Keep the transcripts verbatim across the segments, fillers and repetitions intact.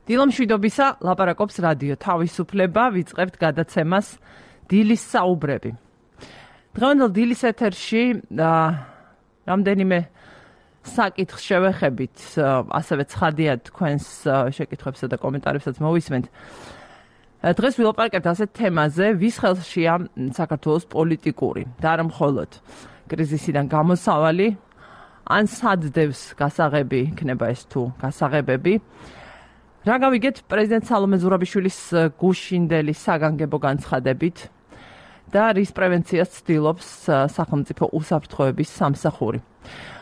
დილომშვიდობისა ლაპარაკობს რადიო თავისუფლება, ვიწყებთ გადაცემას დილის საუბრები. დღევანდელ დილის ეთერში რამდენიმე საკითხს შევეხებით, ასევე ცხადია თქვენს შეკითხვებსა და კომენტარებსაც მოვისმენთ. დღეს ვილაპარაკებთ ასეთ თემაზე, ვის ხელშია საქართველოს პოლიტიკური და არა მხოლოდ კრიზისიდან გამოსავალი, ან სადდევს გასაღები იქნება ეს თუ გასაღებები. რა გავიგეთ პრეზიდენტ სალომე ზურაბიშვილის გუშინდელი საგანგებო განცხადებით და რის პრევენციას ცდილობს სახელმწიფო უსაფრთხოების სამსახური.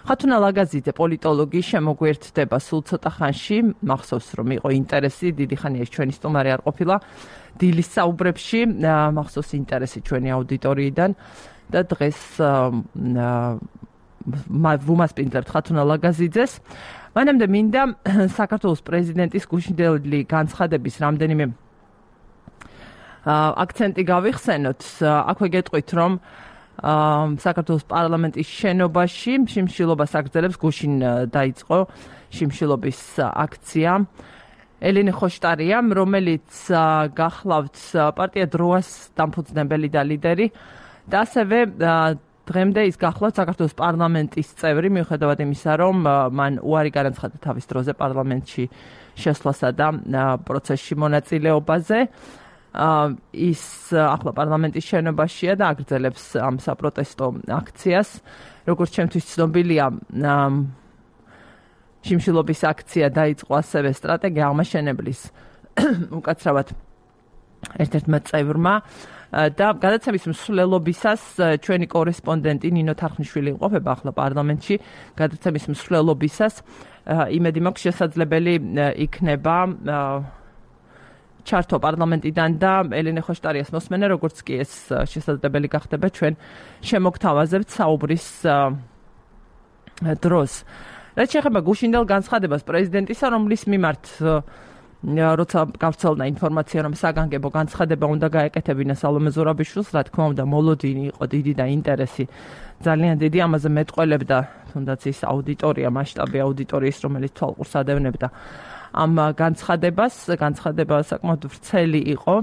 ხათუნა ლაგაზიძე პოლიტოლოგი შემოგვერთდება სულ ცოტა ხანში, მახსოვს რომ იყო ინტერესი, დიდი ხანია ჩვენი სტუმარი არ ყოფილა დილის საუბრებში, მახსოვს ინტერესი ჩვენი აუდიტორიიდან და დღეს ვუმასპინძლებთ ხათუნა ლაგაზიძეს. მანამდე მინდა საქართველოს პრეზიდენტის გუშინდელი განცხადების რამდენიმე აქცენტი გავიხსენოთ. აქვე გეტყვით, რომ საქართველოს პარლამენტის შენობაში შიმშილობას აგრძელებს, გუშინ დაიწყო შიმშილობის აქცია. ელენე ხოშტარია, რომელიც გახლავთ პარტია დროას დამფუძნებელი და ლიდერი და ასევე დღემდე ის გახლავთ საქართველოს პარლამენტის წევრი, მიუხედავად იმისა, რომ მან უარი განაცხადა თავის დროზე პარლამენტში შესვლასა და პროცესში მონაწილეობაზე. ის ახლა პარლამენტის შენობაშია და აგრძელებს ამ საპროტესტო აქციას. როგორც ჩემთვის ცნობილია, შიმშილობის აქცია დაიწყო ასევე სტრატეგია აღმაშენებლის უკაცრავად ერთ-ერთმა წევრმა და გადაცემის მსვლელობისას ჩვენი კორესპონდენტი ნინო თარხნიშვილი იმყოფება ახლა პარლამენტში. გადაცემის მსვლელობისას იმედი მაქვს შესაძლებელი იქნება ჩართო პარლამენტიდან და ელენე ხოშტარიას მოსმენა, როგორც კი ეს შესაძლებელი გახდება ჩვენ შემოგთავაზებთ საუბრის დროს. რაც შეეხება გუშინდელ განცხადებას პრეზიდენტისა, რომლის მიმართ როცა გავრცელდა ინფორმაცია, რომ საგანგებო განცხადება უნდა გაეკეთებინა სალომე ზურაბიშვილს, რა თქმა უნდა, მოლოდინი იყო დიდი და ინტერესი ძალიან დიდი, ამაზე მეტყველებდა თუნდაც ის აუდიტორია, მასშტაბი აუდიტორიის, რომელიც თვალყურს ადევნებდა ამ განცხადებას. განცხადება საკმაოდ ვრცელი იყო.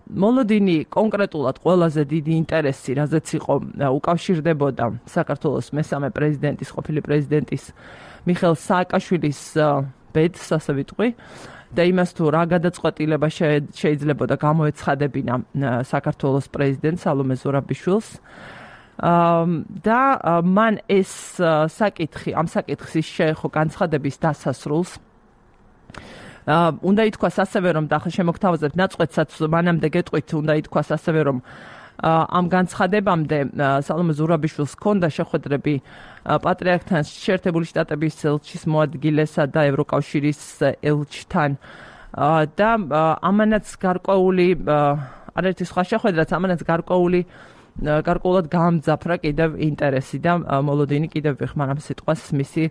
მოლოდინი კონკრეტულად ყველაზე დიდი ინტერესი, რაზეც იყო, უკავშირდებოდა საქართველოს მესამე პრეზიდენტის, ყოფილი პრეზიდენტის მიხეილ სააკაშვილის ბედს, ასე ვიტყვი, და იმას თუ რა გადაწყვეტილება შეიძლებოდა გამოეცხადებინა საქართველოს პრეზიდენტ სალომე ზურაბიშვილს. და მან ეს საკითხი, ამ საკითხის შეეხო განცხადების დასასრულს უნდა ითქვას ასევე, რომ და ახლა შემოგთავაზებთ ნაწყვეტსაც მანამდე გეტყვით, უნდა ითქვას ასევე, რომ ამ განცხადებამდე სალომე ზურაბიშვილს ჰქონდა შეხვედრები პატრიარქთან, შეერთებული შტატების ელჩის მოადგილესა და ევროკავშირის ელჩთან და ამანაც გარკვეული არაერთი სხვა შეხვედრაც ამანაც გარკვეული გარკვეულად გამძაფრა კიდევ ინტერესი და მოლოდინი კიდევ ვიხმარ ამ სიტყვას მისი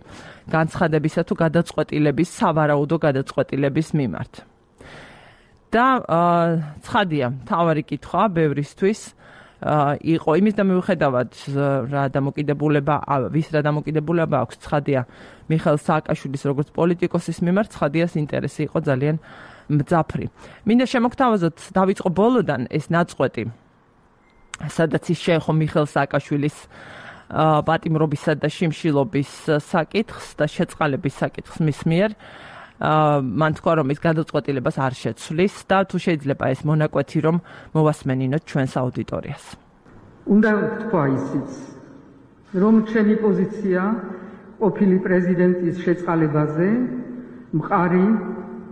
განცხადებისა თუ გადაწყვეტილების, სავარაუდო გადაწყვეტილების მიმართ. და ცხადია, მთავარი კითხვა ბევრისთვის იყო იმის და მიუხედავად რა დამოკიდებულება, ვის რა დამოკიდებულება აქვს, ცხადია მიხეილ სააკაშვილის როგორც პოლიტიკოსის მიმართ, ცხადიას ინტერესი იყო ძალიან მძაფრი. მინდა შემოგთავაზოთ, დავიწყო ბოლოდან ეს ნაწყვეტი, სადაც ის შეეხო მიხეილ სააკაშვილის პატიმრობისა და შიმშილობის საკითხს და შეწყალების საკითხს მის მიერ. მან თქვა, რომ ის გადაწყვეტილებას არ შეცვლის და თუ შეიძლება ეს მონაკვეთი რომ მოვასმენინოთ ჩვენს აუდიტორიას. უნდა ვთქვა ისიც, რომ ჩემი პოზიცია ყოფილი პრეზიდენტის შეწყალებაზე მყარი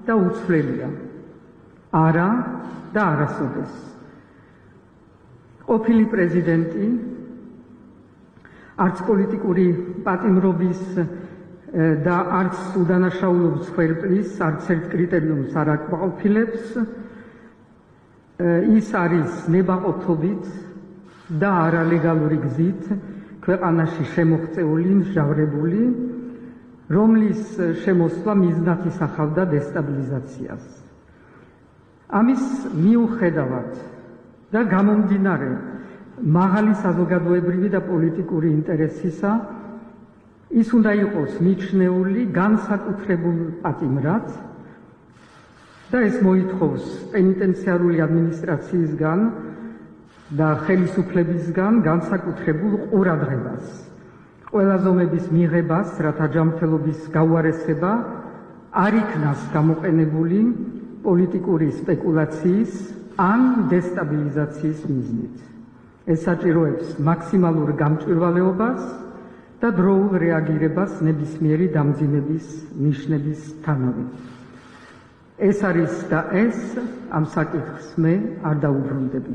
და უცვლელია. არა და არასოდეს. ყოფილი პრეზიდენტი არც პოლიტიკური პატიმრობის და არც უდანაშაულობის ხელფლის არც ერთ კრიტერიუმს არ აკმაყოფილებს. ის არის ნებაყოფობით და არალეგალური გზით ქვეყანაში შემოღწეული, მსჯავრებული, რომლის შემოსვლა მიზნად ისახავდა დესტაბილიზაციას. ამის მიუხედავად და გამომდინარე მაღალი საზოგადოებრივი და პოლიტიკური ინტერესისა, ის უნდა იყოს მიჩნეული განსაკუთრებულ პატიმრად და ეს მოითხოვს პენიტენციარული ადმინისტრაციისგან და ხელისუფლებისგან განსაკუთრებულ ყურადღებას, ყველა ზომების მიღებას, რათა ჯანმრთელობის გაუარესება არ იქნას გამოყენებული პოლიტიკური სპეკულაციის ან დესტაბილიზაციის მიზნით. ეს საჭიროებს მაქსიმალურ გამჭვირვალეობას და დროულ რეაგირებას ნებისმიერი დამძიმების ნიშნებისთანავე. ეს არის და ეს ამ საკითხს მე არ დაუბრუნდები.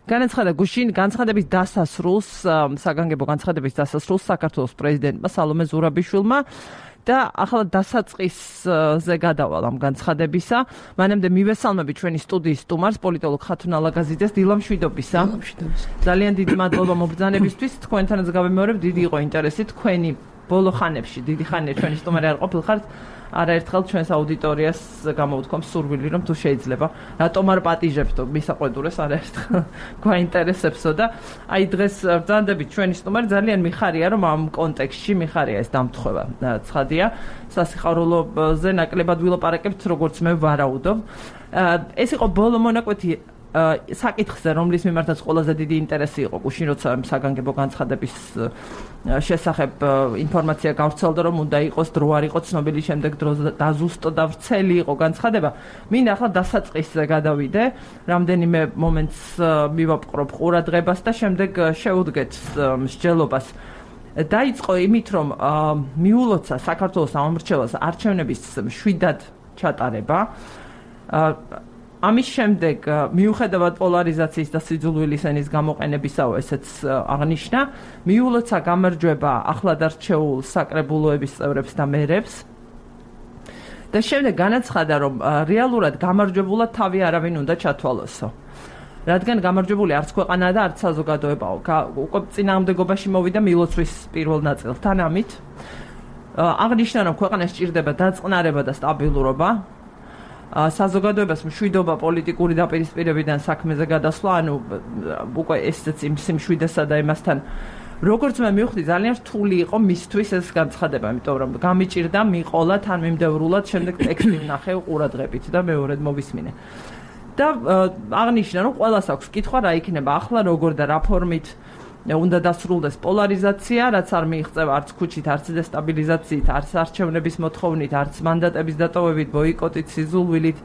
განაცხადა გუშინ განცხადების დასასრულს, საგანგებო განცხადების დასასრულს საქართველოს პრეზიდენტმა სალომე ზურაბიშვილმა და ახლა დასაწყისზე გადავალ ამ განცხადებისა. მანამდე მივესალმები ჩვენი სტუდიის სტუმარს, პოლიტოლოგ ხათუნ ალაგაზიძეს. დილა მშვიდობისა. ძალიან დიდი მადლობა მობრძანებისთვის. თქვენთანაც გავიმეორებ, დიდი იყო ინტერესი თქვენი ბოლო ხანებში, დიდი ხანია ჩვენი სტუმარი არ ყოფილხართ. არაერთხელ ჩვენს აუდიტორიას გამოვთქვამ სურვილი, რომ თუ შეიძლება, რატომ არ პატიჟებთ მისაყვედურეს არაერთხელ გვაინტერესებსო და აი დღეს ბრძანდებით ჩვენი სტუმარი ძალიან მიხარია, რომ ამ კონტექსტში მიხარია ეს დამთხვევა. ცხადია, სასიხარულოზე ნაკლებად ვილაპარაკებთ, როგორც მე ვარაუდობ. ეს იყო ბოლო მონაკვეთი საკითხზე, რომლის მიმართაც ყველაზე დიდი ინტერესი იყო გუშინ, როცა საგანგებო განცხადების შესახებ ინფორმაცია გავრცელდა, რომ უნდა იყოს დრო არ იყო ცნობილი, შემდეგ დრო დაზუსტო და ვრცელი იყო განცხადება. მინდა ახლა დასაწყისზე გადავიდე, რამდენიმე მომენტს მივაპყრობ ყურადღებას და შემდეგ შევუდგეთ მსჯელობას. დაიწყო იმით, რომ მიულოცა საქართველოს ამომრჩეველს არჩევნების მშვიდად ჩატარება. ამის შემდეგ მიუხედავად პოლარიზაციის და სიძულვილის ენის გამოყენებისაო, ესეც აღნიშნა, მიულოცა გამარჯვება ახლად არჩეულ საკრებულოების წევრებს და მერებს. და შემდეგ განაცხადა, რომ რეალურად გამარჯვებულად თავი არავინ უნდა ჩათვალოსო. რადგან გამარჯვებული არც ქვეყანაა და არც საზოგადოებაო. უკვე წინააღმდეგობაში მოვიდა მილოცვის პირველ ნაწილთან ამით. აღნიშნა, რომ ქვეყანას სჭირდება დაწყნარება და სტაბილურობა. საზოგადოებას მშვიდობა პოლიტიკური დაპირისპირებიდან საქმეზე გადასვლა, ანუ უკვე ესეც იმ სიმშვიდესა და იმასთან როგორც მე მივხვდი, ძალიან რთული იყო მისთვის ეს განცხადება, იმიტომ რომ გამიჭირდა მიყოლა თან მიმდევრულად, შემდეგ ტექსტი ვნახე ყურადღებით და მეორედ მოვისმინე. და აღნიშნა, რომ ყველას აქვს კითხვა, რა იქნება ახლა, როგორ და რა ფორმით უნდა დასრულდეს პოლარიზაცია, რაც არ მიიღწევა არც ქუჩით, არც დესტაბილიზაციით, არც არჩევნების მოთხოვნით, არც მანდატების დატოვებით, ბოიკოტით, სიზულვილით,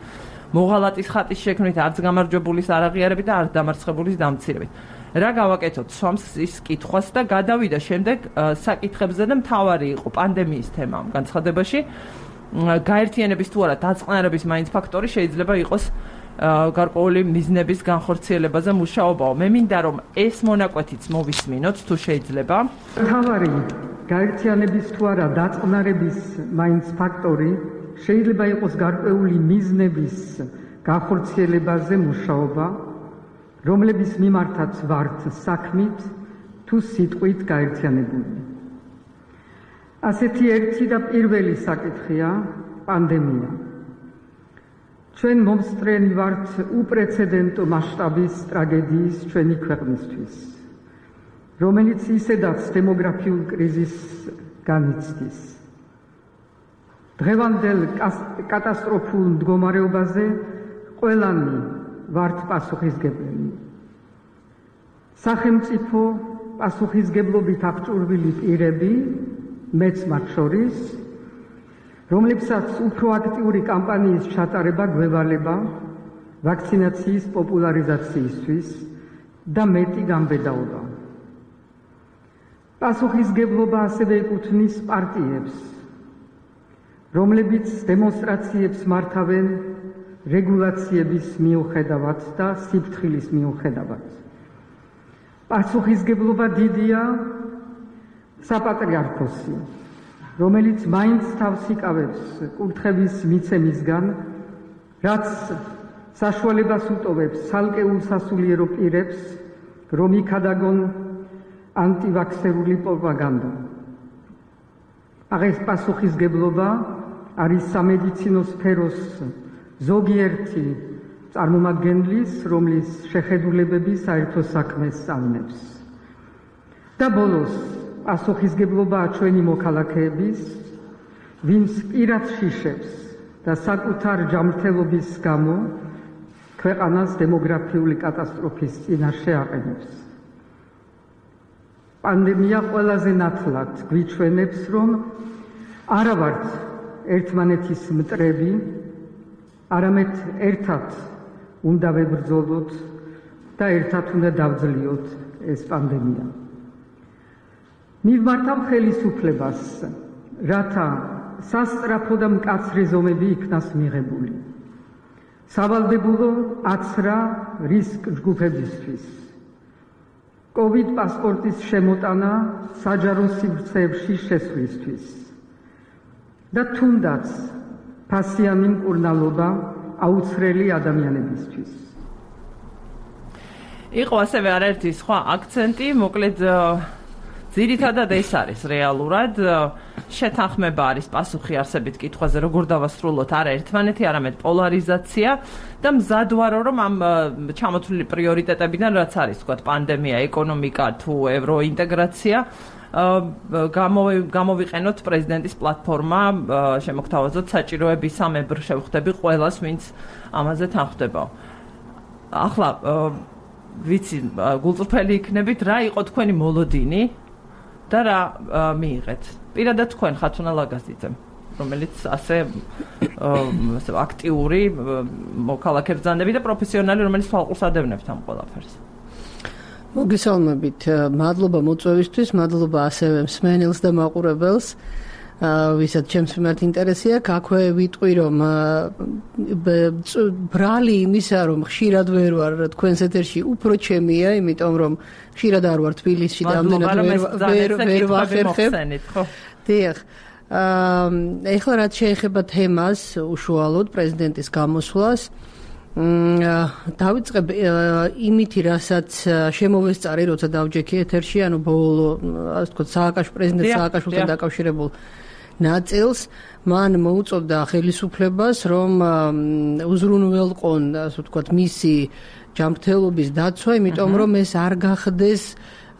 მოღალატის ხატის შექმნით, არც გამარჯვებულის არაღიარებით და არც დამარცხებულის დამცირებით. რა გავაკეთოთ სვამს ის კითხვას და გადავიდა შემდეგ საკითხებზე და მთავარი იყო პანდემიის თემა ამ განცხადებაში. გაერთიანების თუ არა დაწყნარების მაინც ფაქტორი შეიძლება იყოს გარკვეული მიზნების განხორციელებაზე მუშაობაო. მე მინდა რომ ეს მონაკვეთიც მოვისმინოთ თუ შეიძლება. მთავარი გაერთიანების თუ არა დაწყნარების მაინც ფაქტორი შეიძლება იყოს გარკვეული მიზნების განხორციელებაზე მუშაობა, რომლების მიმართაც ვართ საქმით თუ სიტყვით გაერთიანებული. ასეთი ერთი და პირველი საკითხია პანდემია. ჩვენ მომსწრენი ვართ უპრეცედენტო მასშტაბის ტრაგედიის ჩვენი ქვეყნისთვის, რომელიც ისედაც დემოგრაფიულ კრიზისს განიცდის. დღევანდელ კატასტროფულ მდგომარეობაზე ყველანი ვართ პასუხისმგებლები. სახელმწიფო პასუხისმგებლობით აღჭურვილი პირები, მეც მათ შორის, რომლებსაც უფრო აქტიური კამპანიის ჩატარება გვევალება ვაქცინაციის პოპულარიზაციისთვის და მეტი გამბედაობა. პასუხისმგებლობა ასევე ეკუთვნის პარტიებს, რომლებიც დემონსტრაციებს მართავენ რეგულაციების მიუხედავად და სიფრთხილის მიუხედავად. პასუხისმგებლობა დიდია საპატრიარქოსი, რომელიც მაინც თავს იკავებს კურთხევის მიცემისგან, რაც საშუალებას უტოვებს ცალკეულ სასულიერო პირებს, რომ იქადაგონ ანტივაქსერული პროპაგანდა. აღეს პასუხისმგებლობა არის სამედიცინო სფეროს ზოგიერთი წარმომადგენლის, რომლის შეხედულებები საერთო საქმეს სწავლებს. და ბოლოს პასუხისმგებლობაა ჩვენი მოქალაქეების, ვინც პირად შიშებს და საკუთარ ჯანმრთელობის გამო ქვეყანას დემოგრაფიული კატასტროფის წინაშე აყენებს. პანდემია ყველაზე ნათლად გვიჩვენებს, რომ არა ვართ ერთმანეთის მტრები, არამედ ერთად უნდა ვებრძოლოთ და ერთად უნდა დავძლიოთ ეს პანდემია. მივმართავ ხელისუფლებას, რათა სასწრაფო და მკაცრი ზომები იქნას მიღებული. სავალდებულო აცრა რისკ ჯგუფებისთვის. COVID პასპორტის შემოტანა საჯარო სივრცეებში შესვლისთვის. და თუნდაც ფასიანი მკურნალობა აუცხრელი ადამიანებისთვის. იყო ასევე არაერთი სხვა აქცენტი, მოკლედ ძირითადად ეს არის რეალურად შეთანხმება არის პასუხი არსებით კითხვაზე, როგორ დავასრულოთ არა ერთმანეთი, არამედ პოლარიზაცია და მზად ვარო, რომ ამ ჩამოთვლილი პრიორიტეტებიდან, რაც არის, ვთქვათ, პანდემია, ეკონომიკა თუ ევროინტეგრაცია, გამოვიყენოთ პრეზიდენტის პლატფორმა, შემოგთავაზოთ საჭიროების სამებრ შევხვდები ყველას, ვინც ამაზე თანხმდება. ახლა ვიცი, გულწრფელი იქნებით, რა იყო თქვენი მოლოდინი და რა მიიღეთ. პირადად თქვენ ხათუნა ლაგაზიძემ, რომელიც ასე აქტიური მოქალაქე ბრძანები და პროფესიონალი, რომელიც თვალყურს ადევნებთ ამ ყველაფერს. მოგესალმებით, მადლობა მოწვევისთვის, მადლობა ასევე მსმენელს და მაყურებელს. ვისაც ჩემს მიმართ ინტერესი აქვს, აქვე ვიტყვი, რომ ბრალი იმისა, რომ ხშირად ვერ ვარ თქვენს ეთერში, უფრო ჩემია, იმიტომ რომ ხშირად არ ვარ თბილისში და ამდენად ვერ ვერ ვახერხებ. დიახ. ეხლა რაც შეეხება თემას, უშუალოდ პრეზიდენტის გამოსვლას, დავიწყებ იმითი, რასაც შემოვესწარი, როცა დავჯექი ეთერში, ანუ ბოლო, ასე ვთქვათ, სააკაშვილის პრეზიდენტ სააკაშვილთან დაკავშირებულ ნაწილს, მან მოუწოდა ხელისუფლებას, რომ უზრუნველყონ, ასე ვთქვათ, მისი ჯანმრთელობის დაცვა, იმიტომ რომ ეს არ გახდეს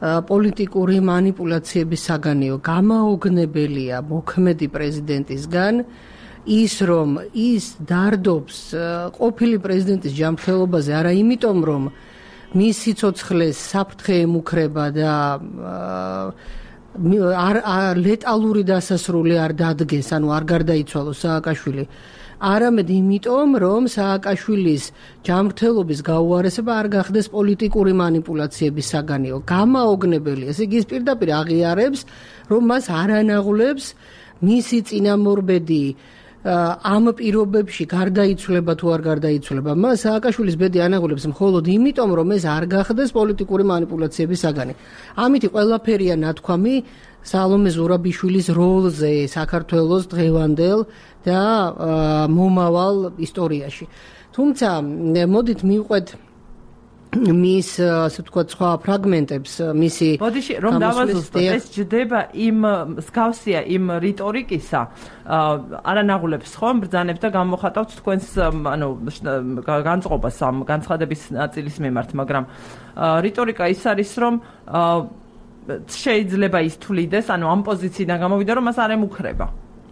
პოლიტიკური манипуляციების საგანიო. გამაოგნებელია მოქმედი პრეზიდენტისგან ის, რომ ის დარდობს ყოფილი პრეზიდენტის ჯანმრთელობაზე, არა იმიტომ, რომ მის სიცოცხლეს საფრთხე ემუქრება და არ ლეტალური დასასრული არ დადგეს, ანუ არ გარდაიცვალოს სააკაშვილი, არამედ იმიტომ, რომ სააკაშვილის ჯანმრთელობის გაუარესება არ გახდეს პოლიტიკური манипуляციების საგანიო. გამაოგნებელია, ესე იგი ის პირდაპირ აღიარებს, რომ მას არ ანაღლებს მისი წინამორბედი ამ პირობებში გარდაიცვლება თუ არ გარდაიცვლება. მას სააკაშვილის ბედი ანაღლებს მხოლოდ იმიტომ, რომ ეს არ გახდეს პოლიტიკური манипуляციების საგანი. ამით ყველაფერია ნათქვამი სალომე ზურაბიშვილის როლზე საქართველოს დღევანდელ და მომავალ ისტორიაში. თუმცა მოდით მივყვეთ მის, ასე ვთქვათ, სხვა ფრაგმენტებს, მისი ბოდიში რომ დავაზუსტოთ, ეს ჯდება იმ მსგავსია იმ რიტორიკისა, არანაღულებს ხომ ბრძანებს და გამოხატავთ თქვენს, ანუ განწყობას ამ განცხადების ნაწილის მიმართ, მაგრამ რიტორიკა ის არის, რომ შეიძლება ის თვლიდეს, ანუ ამ პოზიციიდან გამოვიდა, რომ მას არ ემუქრება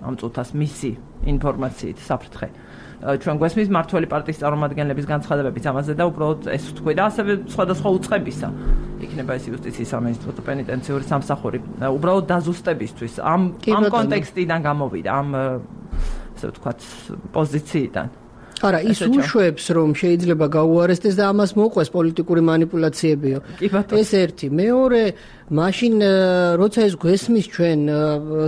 ამ წუთას მისი ინფორმაციით საფრთხე. ჩვენ გვესმის მართველი პარტიის წარმომადგენლების განცხადებებიც ამაზე და უბრალოდ ეს ვთქვი და ასევე სხვადასხვა უწყებისა იქნება ეს იუსტიციის სამინისტროს პენიტენციური სამსახური უბრალოდ დაზუსტებისთვის ამ ამ კონტექსტიდან გამოვიდა ამ ასე ვთქვათ პოზიციიდან. არა, ის უშვებს, რომ შეიძლება გაუარესდეს და ამას მოყვეს პოლიტიკური манипуляციებიო. ეს ერთი. მეორე, მაშინ როცა ეს გვესმის ჩვენ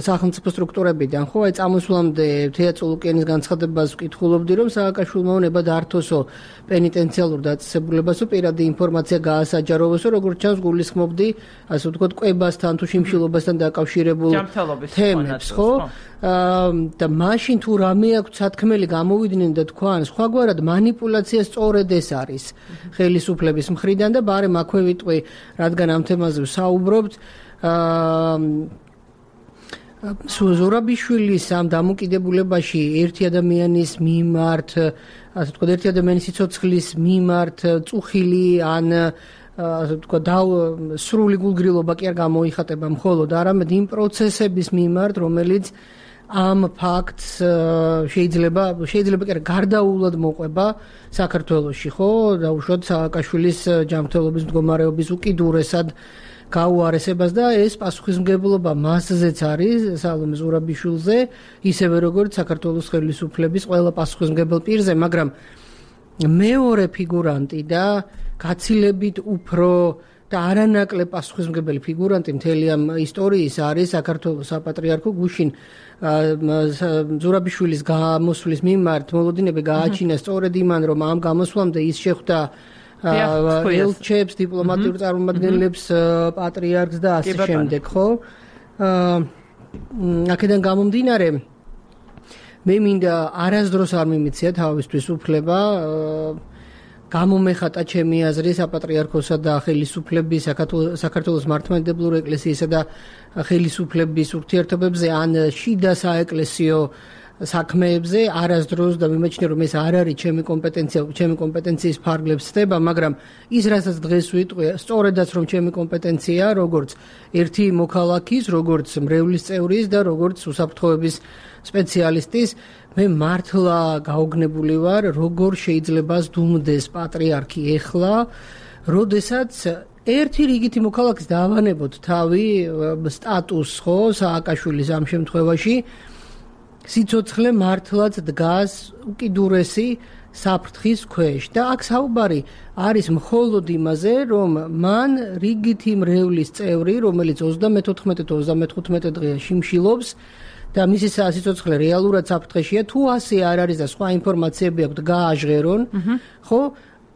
სახელმწიფო სტრუქტურებიდან, ხო, აი წამოსვლამდე თეა წულუკიანის განცხადებას ვკითხულობდი, რომ სააკაშვილმა უნდა დართოსო პენიტენციალურ დაწესებულებასო პირადი ინფორმაცია გაასაჯაროვოსო, როგორც ჩანს გულისხმობდი, ასე ვთქვათ, კვებასთან თუ შიმშილობასთან დაკავშირებულ თემებს, ხო? და მაშინ თუ რამე აქვს სათქმელი გამოვიდნენ და თქვან სხვაგვარად манипуляცია სწორედ ეს არის ხელისუფლების მხრიდან და ბარემ აქვე ვიტყვი, რადგან ამ თემაზე ვსაუბრობთ, ზურაბიშვილის ამ დამოკიდებულებაში ერთი ადამიანის მიმართ, ასე ვთქვათ, ერთი ადამიანის სიცოცხლის მიმართ წუხილი ან ასე ვთქვათ, სრული გულგრილობა კი არ გამოიხატება მხოლოდ, არამედ იმ პროცესების მიმართ, რომელიც ამ ფაქტს შეიძლება შეიძლება კი გარდაულად მოყვება საქართველოში, ხო? დაუშვათ სააკაშვილის ჯანმრთელობის მდგომარეობის უკიდურესად გაუარესებას და ეს პასუხისმგებლობა მასზეც არის სალომე ზურაბიშვილზე, ისევე როგორც საქართველოს ხელისუფლების ყველა პასუხისმგებელ პირზე, მაგრამ მეორე ფიგურანტი და გაცილებით უფრო და არანაკლებ პასუხისმგებელი ფიგურანტი მთელი ამ ისტორიის არის საქართველოს საპატრიარქო გუშინ ზურაბიშვილის გამოსვლის მიმართ მოლოდინები გააჩინა სწორედ იმან, რომ ამ გამოსვლამდე ის შეხვდა ელჩებს, დიპლომატიურ წარმომადგენლებს, პატრიარქს და ასე შემდეგ, ხო? აქედან გამომდინარე მე მინდა არასდროს არ მიმეცია თავისთვის უფლება გამომეხატა ჩემი აზრი საპატრიარქოსა და ხელისუფლების საქართველოს მართლმადიდებლური ეკლესიისა და ხელისუფლების ურთიერთობებზე ან შიდა საეკლესიო საქმეებზე არასდროს და მიმაჩნია რომ ეს არ არის ჩემი კომპეტენცია, ჩემი კომპეტენციის ფარგლებს ხდება, მაგრამ ის რასაც დღეს ვიტყვი, სწორედაც რომ ჩემი კომპეტენცია, როგორც ერთი მოქალაქის, როგორც მრევლის წევრის და როგორც უსაფრთხოების სპეციალისტის, მე მართლა გაოგნებული ვარ, როგორ შეიძლება ზდუმდეს პატრიარქი ეხლა, როდესაც ერთი რიგითი მოქალაქის დავანებოთ თავი სტატუსს, ხო, სააკაშვილის ამ შემთხვევაში სიცოცხლე მართლაც დგას უკიდურესი საფრთხის ქვეშ და აქ საუბარი არის მხოლოდ იმაზე, რომ მან რიგითი მრევლის წევრი, რომელიც ოცდამეთოთხმეტე თუ ოცდამეთხუთმეტე დღეა შიმშილობს და მისი სიცოცხლე რეალურად საფრთხეშია, თუ ასე არ არის და სხვა ინფორმაციები აქვს გააჟღერონ, ხო?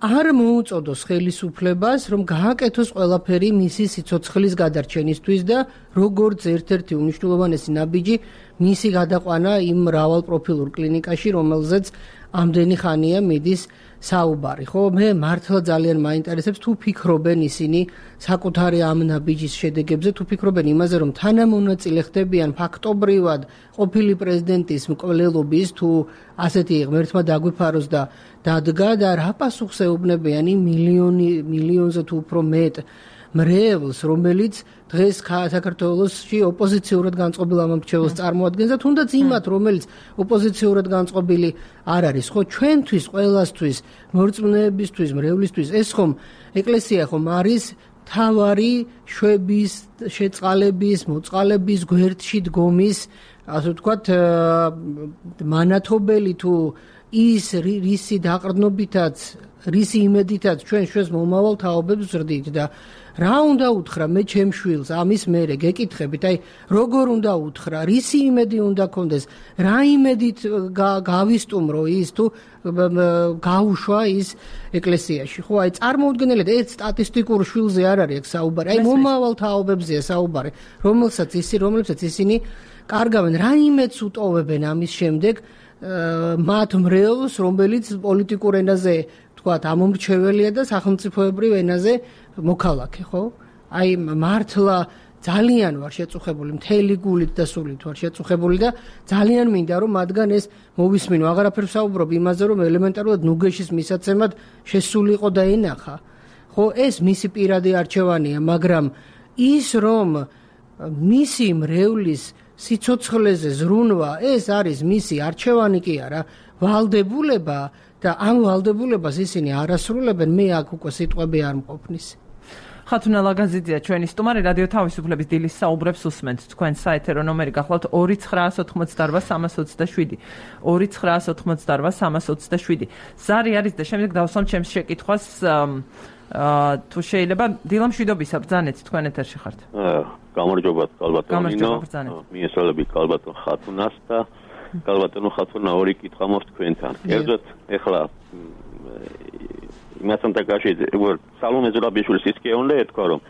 არ მოუწოდოს ხელისუფლებას, რომ გააკეთოს ყველაფერი მისი სიცოცხლის გადარჩენისთვის და როგორც ერთ-ერთი უმნიშვნელოვანესი ნაბიჯი მისი გადაყვანა იმ მრავალპროფილურ კლინიკაში, რომელზეც ამდენი ხანია მიდის საუბარი, ხო? მე მართლა ძალიან მაინტერესებს თუ ფიქრობენ ისინი საკუთარი ამ ნაბიჯის შედეგებზე, თუ ფიქრობენ იმაზე, რომ თანამონაწილე ხდებიან ფაქტობრივად ყოფილი პრეზიდენტის მკვლელობის, თუ ასეთი ღმერთმა დაგვიფაროს და დადგა და რა პასუხს ეუბნებიან იმ მილიონი მილიონზე თუ უფრო მეტ მრევლს, რომელიც დღეს საქართველოსში ოპოზიციურად განწყობილ ამომრჩეველს წარმოადგენს და თუნდაც იმათ, რომელიც ოპოზიციურად განწყობილი არ არის, ხო, ჩვენთვის, ყველასთვის, მორწმუნეებისთვის, მრევლისთვის, ეს ხომ ეკლესია ხომ არის თავარი შვების, შეწყალების, მოწყალების გვერდში დგომის, ასე ვთქვათ, მანათობელი თუ ის რისი დაყრდნობითაც, რისი იმედითაც ჩვენ ჩვენს მომავალ თაობებს ვზრდით და რა უნდა უთხრა მე ჩემ შვილს ამის მერე გეკითხებით, აი როგორ უნდა უთხრა, რისი იმედი უნდა კონდეს, რა იმედით გავისტუმრო ის თუ გაუშვა ის ეკლესიაში, ხო, აი წარმოუდგენელია, ეს სტატისტიკურ შვილზე არ არის აქ საუბარი, აი მომავალ თაობებზეა საუბარი, რომელსაც ისი, რომლებსაც ისინი კარგავენ, რა იმედს უტოვებენ ამის შემდეგ მათ მრევლს, რომელიც პოლიტიკურ ენაზე თქვათ ამომრჩეველია და სახელმწიფოებრივ ენაზე მოქალაქე, ხო? აი მართლა ძალიან ვარ შეწუხებული, მთელი გულით და სულით ვარ შეწუხებული და ძალიან მინდა რომ მათგან ეს მოვისმინო. აღარაფერ ვსაუბრობ იმაზე, რომ ელემენტარულად ნუგეშის მისაცემად შესულიყო და ენახა. ხო, ეს მისი პირადი არჩევანია, მაგრამ ის რომ მისი მრევლის სიცოცხლეზე ზრუნვა, ეს არის მისი არჩევანი კი არა, ვალდებულება და ამ ვალდებულებას ისინი არ ასრულებენ, მე აქ უკვე სიტყვები არ მყოფნის. ხათუნა ლაგაზიძეა ჩვენი სტუმარი, რადიო თავისუფლების დილის საუბრებს უსმენთ. თქვენ საეთერო ნომერი გახლავთ ორი ცხრაას ოთხმოცდაარბა სამას ოცდაშვიდი. ორი ცხრაას ოთხმოცდაარბა სამას ოცდაშვიდი. ზარი არის და შემდეგ დავსვამ ჩემს შეკითხვას, თუ შეიძლება დილა მშვიდობისა ბრძანეთ, თქვენ ეთერში ხართ. გამარჯობათ კალბატონო ნინო, მიესალმებით კალბატონ ხათუნას და კალბატონო ხათუნა ორი კითხვა მოხთ თქვენთან. კერძოდ ეხლა იმასთან დაკავშირებით სალომე ზურაბიშვილის ის კი უნდა ეთქვა, რომ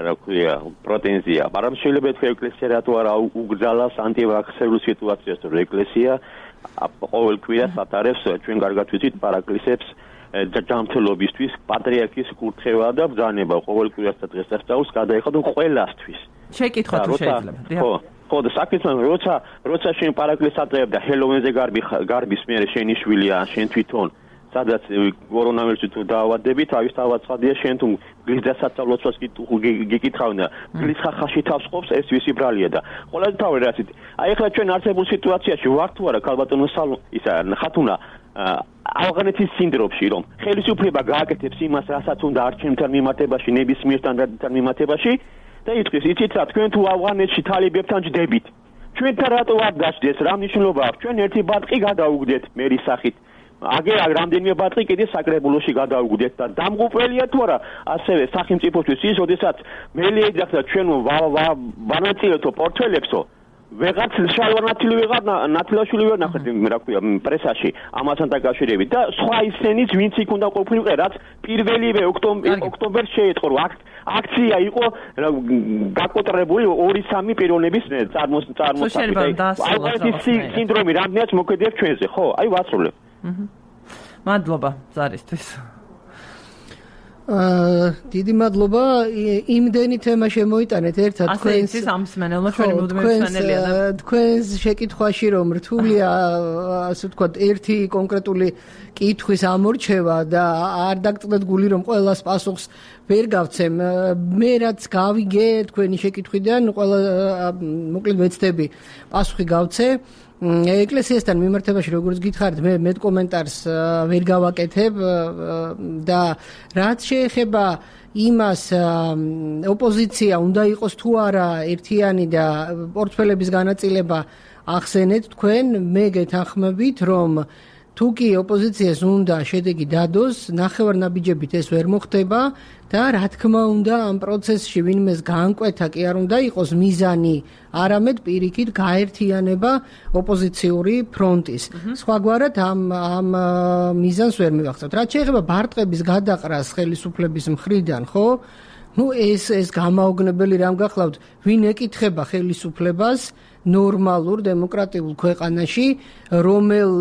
რა ქვია პრეტენზია, მაგრამ შეიძლება ეთქვა ეკლესია რატო არა უგზალას ანტივაქსერულ სიტუაციას, რომ ეკლესია ყოველ კვირას ატარებს ჩვენ კარგად ვიცით პარაკლისებს ჯანმრთელობისთვის, პატრიარქის კურთხევა და ბრძანება ყოველ კვირას და დღესასწაულს გადაიხადონ ყველასთვის. შეკითხვა თუ შეიძლება. ხო, ხო და საკითხი როცა როცა შენ პარაკლისს ატარებ და ჰელოვენზე გარბი გარბის მერე შენი შვილია, შენ თვითონ სადაც კორონავირუსი თუ დაავადები, თავის თავაცხადია შენ თუ გლის დასაცავლოსაც გიკითხავნა, გლის ხახაში თავს ყოფს, ეს ვისი ბრალია და ყველაზე თავი რაცით. აი ახლა ჩვენ არსებულ სიტუაციაში ვართ თუ არა ქალბატონო სალო ისა ხათუნა ავღანეთის სინდრომში რომ ხელისუფლება გააკეთებს იმას, რასაც უნდა არჩევნებთან მიმართებაში, ნებისმიერ სტანდარტთან მიმართებაში და იტყვის, იცით რა, თქვენ თუ ავღანეთში თალიბებთან ჯდებით. ჩვენთან რატო არ დაждდეს, რა მნიშვნელობა აქვს? ჩვენ ერთი ბარტყი გადაუგდეთ მერის სახით. აგერ რამდენიმე ბარტყი კიდე საკრებულოში გადაუგდეთ და დამღუპველია თუ არა ასევე სახელმწიფოსთვის ის, როდესაც მელი ეძახდა ჩვენ ვანაწილეთო პორტფელებსო ვეღარც შალვანათილი ვეღარ ნათლაშვილი ვერ ნახეთ რა ქვია პრესაში ამასთან დაკავშირებით და სხვა ისენიც ვინც იქ უნდა ყოფილიყო რაც პირველივე ოქტომბერს შეეწყო აქცია იყო გაკოტრებული ორი სამი პიროვნების წარმოსახვითი ალბათ სინდრომი რამდენიც მოქმედებს ჩვენზე ხო აი ვასრულებ მადლობა ზარისთვის დიდი მადლობა იმდენი თემა შემოიტანეთ ერთად თქვენს ამსმენელმა ჩვენი მუდმივი მსმენელია და თქვენს შეკითხვაში რომ რთულია ასე ვთქვათ ერთი კონკრეტული კითხვის ამორჩევა და არ დაგწყდეთ გული რომ ყველას პასუხს ვერ გავცემ მე რაც გავიგე თქვენი შეკითხვიდან ყველა მოკლედ ვეცდები პასუხი გავცე ეკლესიასთან მიმართებაში როგორც გითხარით მე მე კომენტარს ვერ გავაკეთებ და რაც შეეხება იმას ოპოზიცია უნდა იყოს თუ არა ერთიანი და პორტფელების განაწილება ახსენეთ თქვენ მე გეთანხმებით რომ თუ კი ოპოზიციას უნდა შედეგი დადოს ნახევარნაბიჯებით ეს ვერ მოხდება და რა თქმა უნდა ამ პროცესში ვინმეს განკვეთა კი არ უნდა იყოს მიზანი არამედ პირიქით გაერთიანება ოპოზიციური ფრონტის სხვაგვარად ამ ამ მიზანს ვერ მივახცევთ რაც შეეხება ბარტყების გადაყრას ხელისუფლების მხრიდან ხო ну ეს ეს გამაოგნებელი რამ გახლავთ ვინ ეკითხება ხელისუფლებას ნორმალურ დემოკრატიულ ქვეყანაში რომელ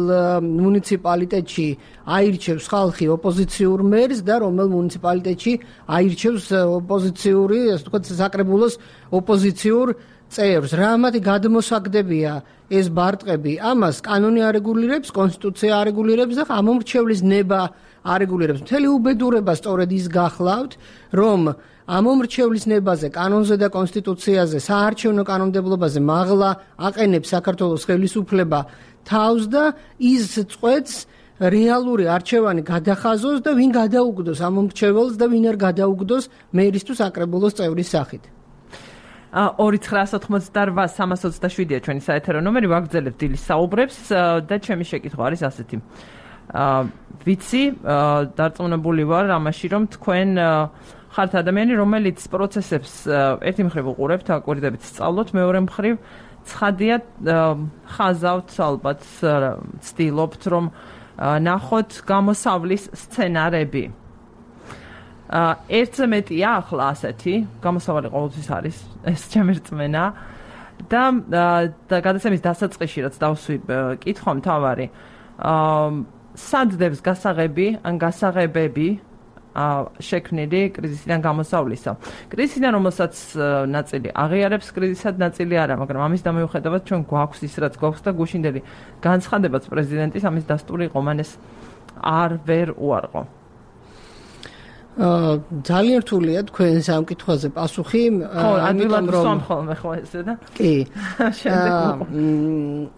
მუნიციპალიტეტში აირჩევს ხალხი ოპოზიციურ მერს და რომელ მუნიციპალიტეტში აირჩევს ოპოზიციური ასე ვთქვათ საკრებულოს ოპოზიციურ წევრს რა მათი გადმოსაგდებია ეს ბარტყები ამას კანონი არეგულირებს კონსტიტუცია არეგულირებს და ამომრჩევლის ნება არეგულირებს მთელი უბედურება სწორედ ის გახლავთ რომ ამომრჩევლის ნებაზე, კანონზე და კონსტიტუციაზე, საარჩევნო კანონმდებლობაზე მაღლა აყენებს საქართველოს ხელისუფლება თავს და ის წყვეტს რეალური არჩევანი გადახაზოს და ვინ გადაუგდოს ამომრჩეველს და ვინ არ გადაუგდოს მერისთვის საკრებულოს წევრის სახით. ორი ცხრაასი ოცდაოთხ სამას ოცდაშვიდია ჩვენი საეთერო ნომერი ვაგრძელებთ დილის საუბრებს და ჩემი შეკითხვა არის ასეთი. ვიცი, დარწმუნებული ვარ ამაში რომ თქვენ ხართ ადამიანი, რომელიც პროცესებს ერთი მხრივ უყურებთ, აკვირდებით სწავლოთ, მეორე მხრივ ცხადია ხაზავთ ალბათ ცდილობთ რომ ნახოთ გამოსავლის სცენარები. ერთზე მეტია ახლა ასეთი, გამოსავალი ყოველთვის არის, ეს ჩემი რწმენა და და გადაცემის დასაწყისში რაც დავსვი კითხვა მთავარი. სად დებს გასაღები ან გასაღებები შექმნილი კრიზისიდან გამოსავლისა. კრიზისიდან რომელსაც ნაწილი აღიარებს კრიზისად ნაწილი არა, მაგრამ ამის დამოუხედავად ჩვენ გვაქვს ის რაც გვაქვს და გუშინდელი განცხადებაც პრეზიდენტის ამის დასტური იყო, მან ეს არ ვერ უარყო. ძალიან რთულია თქვენ ამ კითხვაზე პასუხი, ამიტომ რომ ხოლმე ხო ესე და კი.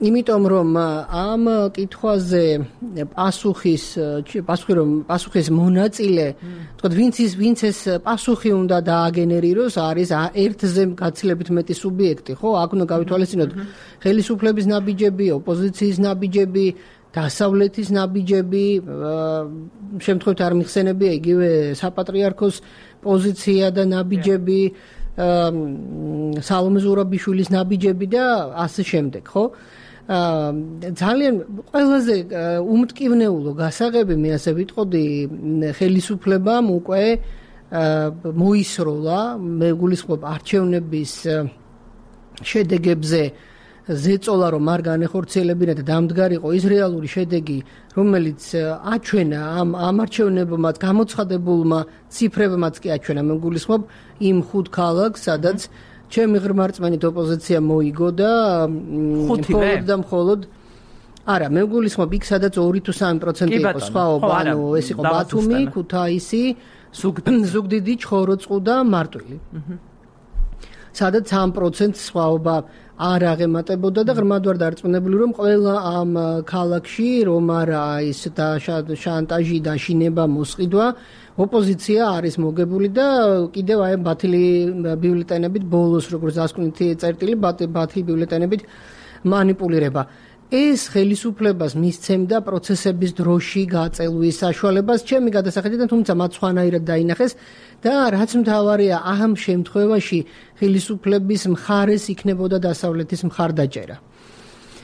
იმიტომ რომ ამ კითხვაზე პასუხის პასუხი რომ პასუხის მონაწილე, თქვათ ვინც ის ვინც ეს პასუხი უნდა დააგენერიროს, არის ერთზე გაცილებით მეტი სუბიექტი, ხო? აქ უნდა გავითვალისწინოთ ხელისუფლების ნაბიჯები, ოპოზიციის ნაბიჯები, დასავლეთის ნაბიჯები, შემთხვევით არ მიხსენებია იგივე საპატრიარქოს პოზიცია და ნაბიჯები, სალომე ზურაბიშვილის ნაბიჯები და ასე შემდეგ, ხო? ძალიან ყველაზე უმტკივნეულო გასაღები მე ასე ვიტყოდი ხელისუფლებამ უკვე მოისროლა, მე გულისხმობ არჩევნების შედეგებზე ზეწოლა რომ არ განეხორციელებინა და დამდგარიყო ის რეალური შედეგი რომელიც აჩვენა ამ ამ არჩევნებმაც გამოცხადებულმა ციფრებმაც კი აჩვენა მე გულისხმობ იმ ხუთ ქალაქს სადაც ჩემი ღრმა რწმენით ოპოზიცია მოიგო და მხოლოდ და მხოლოდ არა, მე გულისხმობ იქ სადაც ორი თუ სამი პროცენტი იყო სხვაობა, ანუ ეს იყო ბათუმი, ქუთაისი, ზუგდიდი, ჩხოროწყუ და მარტვილი. სადაც სამი პროცენტი სხვაობა არ აღემატებოდა და ღრმად ვარ დარწმუნებული, რომ ყველა ამ ქალაქში რომ არა ის შანტაჟი და შინება მოსყიდვა, ოპოზიცია არის მოგებული და კიდევ აი ბათილი ბიულეტენებით ბოლოს როგორც დასკვნითი წერტილი ბათილი ბიულეტენებით манипулირება. ეს ხელისუფლებას მისცემდა პროცესების დროში გაწელვის საშუალებას, ჩემი გადასახედიდან, თუმცა მათ სხვანაირად დაინახეს და რაც მთავარია, ამ შემთხვევაში ხელისუფლების მხარეს იქნებოდა დასავლეთის მხარდაჭერა.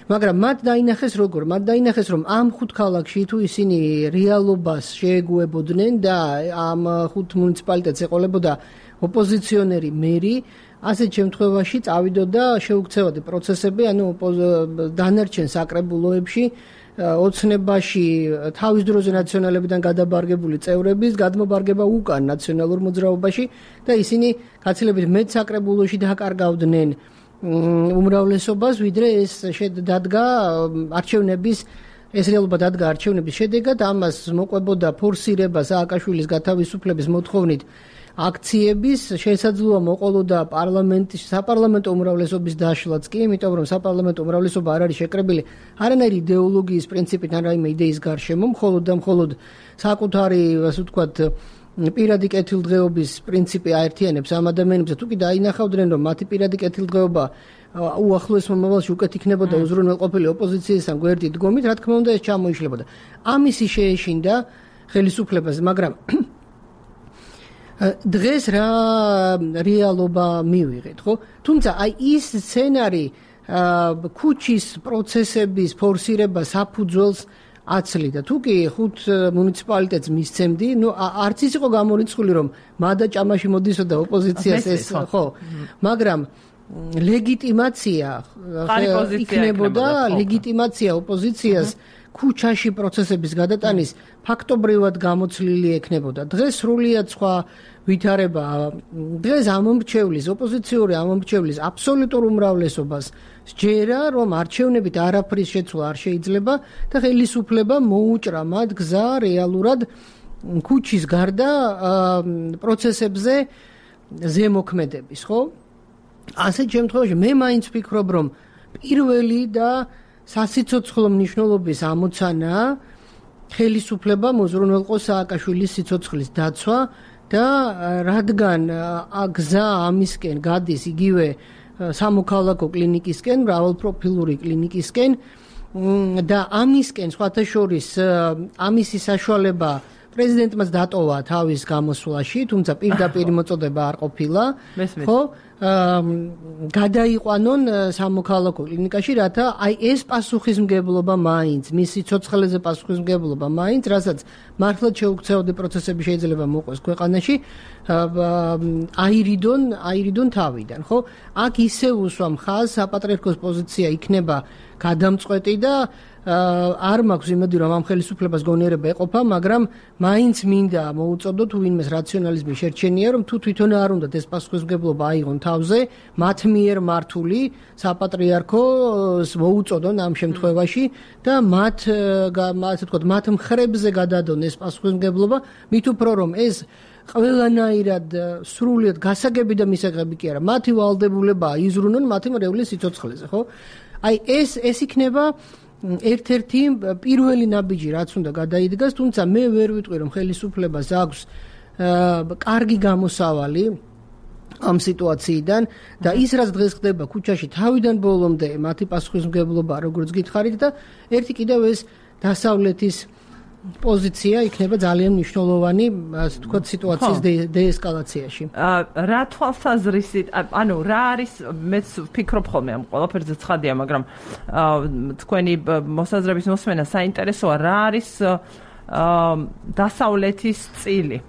მაგრამ მათ დაინახეს როგორ? მათ დაინახეს, რომ ამ ხუთ ქალაქში თუ ისინი რეალობას შეეგუებოდნენ და ამ ხუთ მუნიციპალიტეტს ეყოლებოდა ოპოზიციონერი მერი, ასეთ შემთხვევაში წავიდოდა შეუქცევადი პროცესები, ანუ დანარჩენ საკრებულოებში ოცნებაში თავის დროზე ნაციონალებიდან გადაბარგებული წევრების გადმობარგება უკან ნაციონალურ მოძრაობაში და ისინი გაცილებით მეტ საკრებულოში დაკარგავდნენ უმრავლესობას, ვიდრე ეს დადგა არჩევნების ეს რეალობა დადგა არჩევნების შედეგად, ამას მოყვებოდა ფორსირება სააკაშვილის გათავისუფლების მოთხოვნით აქციების, შესაძლოა მოყოლოდა პარლამენტის საპარლამენტო უმრავლესობის დაშლაც კი, იმიტომ რომ საპარლამენტო უმრავლესობა არ არის შეკრებილი არანაირი იდეოლოგიის პრინციპით ან რაიმე იდეის გარშემო, მხოლოდ და მხოლოდ საკუთარი, ასე ვთქვათ, პირადი კეთილდღეობის პრინციპი აერთიანებს ამ ადამიანებს, თუ კი დაინახავდნენ, რომ მათი პირადი კეთილდღეობა უახლოეს მომავალში უკეთ იქნებოდა უზრუნველყოფილი ოპოზიციისგან გვერდით დგომით, რა თქმა უნდა ეს ჩამოიშლებოდა. ამისი შეეშინდა ხელისუფლებას, მაგრამ დღეს რა რეალობა მივიღეთ, ხო? თუმცა აი ის სცენარი ქუჩის პროცესების ფორსირება საფუძველს აცლიდა. თუ კი ხუთ მუნიციპალიტეტს მისცემდი, ნუ არც ის იყო გამორიცხული, რომ მადა ჭამაში მოდისოდა ოპოზიციას ეს, ხო? მაგრამ ლეგიტიმაცია იქნებოდა, ლეგიტიმაცია ოპოზიციას ქუჩაში პროცესების გადატანის ფაქტობრივად გამოცლილი ექნებოდა. დღეს სრულიად სხვა ვითარება, დღეს ამომრჩევლის, ოპოზიციური ამომრჩევლის აბსოლუტურ უმრავლესობას სჯერა, რომ არჩევნებით არაფრის შეცვლა არ შეიძლება და ხელისუფლება მოუჭრა მათ გზა რეალურად ქუჩის გარდა პროცესებზე ზემოქმედების, ხო? ასეთ შემთხვევაში მე მაინც ვფიქრობ, რომ პირველი და სასიცოცხლო მნიშვნელობის ამოცანა ხელისუფლება მოზრუნველყოს სააკაშვილის სიცოცხლის დაცვა და რადგან გზა ამისკენ გადის იგივე სამოქალაქო კლინიკისკენ, მრავალპროფილური კლინიკისკენ და ამისკენ სხვათა შორის ამისი საშუალება პრეზიდენტმაც დატოვა თავის გამოსვლაში, თუმცა პირდაპირ მოწოდება არ ყოფილა, ხო? გადაიყვანონ სამოქალაქო კლინიკაში, რათა აი ეს პასუხისმგებლობა მაინც, მის სიცოცხლეზე პასუხისმგებლობა მაინც, რასაც მართლაც შეუქცევადი პროცესები შეიძლება მოყვეს ქვეყანაში, აირიდონ, აირიდონ თავიდან, ხო? აქ ისევ უსვამ ხაზს, საპატრიარქოს პოზიცია იქნება გადამწყვეტი და არ მაქვს იმედი, რომ ამ ხელისუფლებას გონიერება ეყოფა, მაგრამ მაინც მინდა მოუწოდო თუ ვინმეს რაციონალიზმი შერჩენია, რომ თუ თვითონ არ უნდათ ეს პასუხისმგებლობა აიღონ თავზე, მათ მიერ მართული საპატრიარქოს მოუწოდონ ამ შემთხვევაში და მათ, ასე ვთქვათ, მათ მხრებზე გადადონ ეს პასუხისმგებლობა, მით უფრო რომ ეს ყველანაირად სრულიად გასაგები და მისაღები კი არა, მათი ვალდებულება იზრუნონ მათი მრევლის სიცოცხლეზე, ხო? აი ეს ეს იქნება ერთ-ერთი პირველი ნაბიჯი, რაც უნდა გადაიდგას, თუმცა მე ვერ ვიტყვი, რომ ხელისუფლებას აქვს კარგი გამოსავალი ამ სიტუაციიდან და ის რაც დღეს ხდება ქუჩაში თავიდან ბოლომდე მათი პასუხისმგებლობა, როგორც გითხარით და ერთი კიდევ ეს დასავლეთის პოზიცია იქნება ძალიან მნიშვნელოვანი, ასე ვთქვათ, სიტუაციის დეესკალაციაში. რა თვალსაზრისით, ანუ რა არის, მეც ვფიქრობ ხოლმე ამ ყველაფერზე ცხადია, მაგრამ თქვენი მოსაზრების მოსმენა საინტერესოა, რა არის დასავლეთის წილი?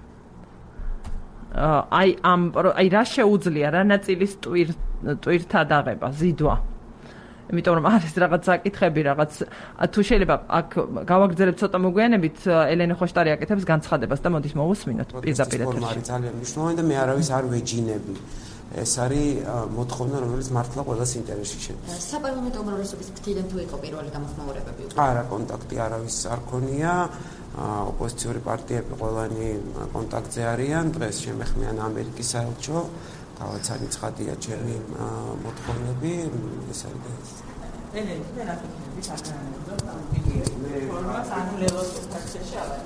აი ამ აი რა შეუძლია რა ნაწილის ტვირთა დაღება, ზიდვა? იმიტომ რომ არის რაღაც საკითხები, რაღაც თუ შეიძლება აქ გავაგრძელებ ცოტა მოგვიანებით ელენე ხოშტარი აკეთებს განცხადებას და მოდის მოვუსმინოთ პირდაპირ ეთერში. არის ძალიან მნიშვნელოვანი და მე არავის არ ვეჯინები. ეს არის მოთხოვნა, რომელიც მართლა ყველას ინტერესში შედის. საპარლამენტო უმრავლესობის ფრთიდან თუ იყო პირველი გამოხმაურებები? არა, კონტაქტი არავის არ ქონია. ოპოზიციური პარტიები ყველანი კონტაქტზე არიან. დღეს შემეხმიან ამერიკის საელჩო. გავაცანი ცხადია ჩემი მოთხოვნები, ეს არის და ეს. ელენე, მე რა თქვი, საკანონმდებლო პარტიები. ფორმას ანულებას ფაქტში აღარ.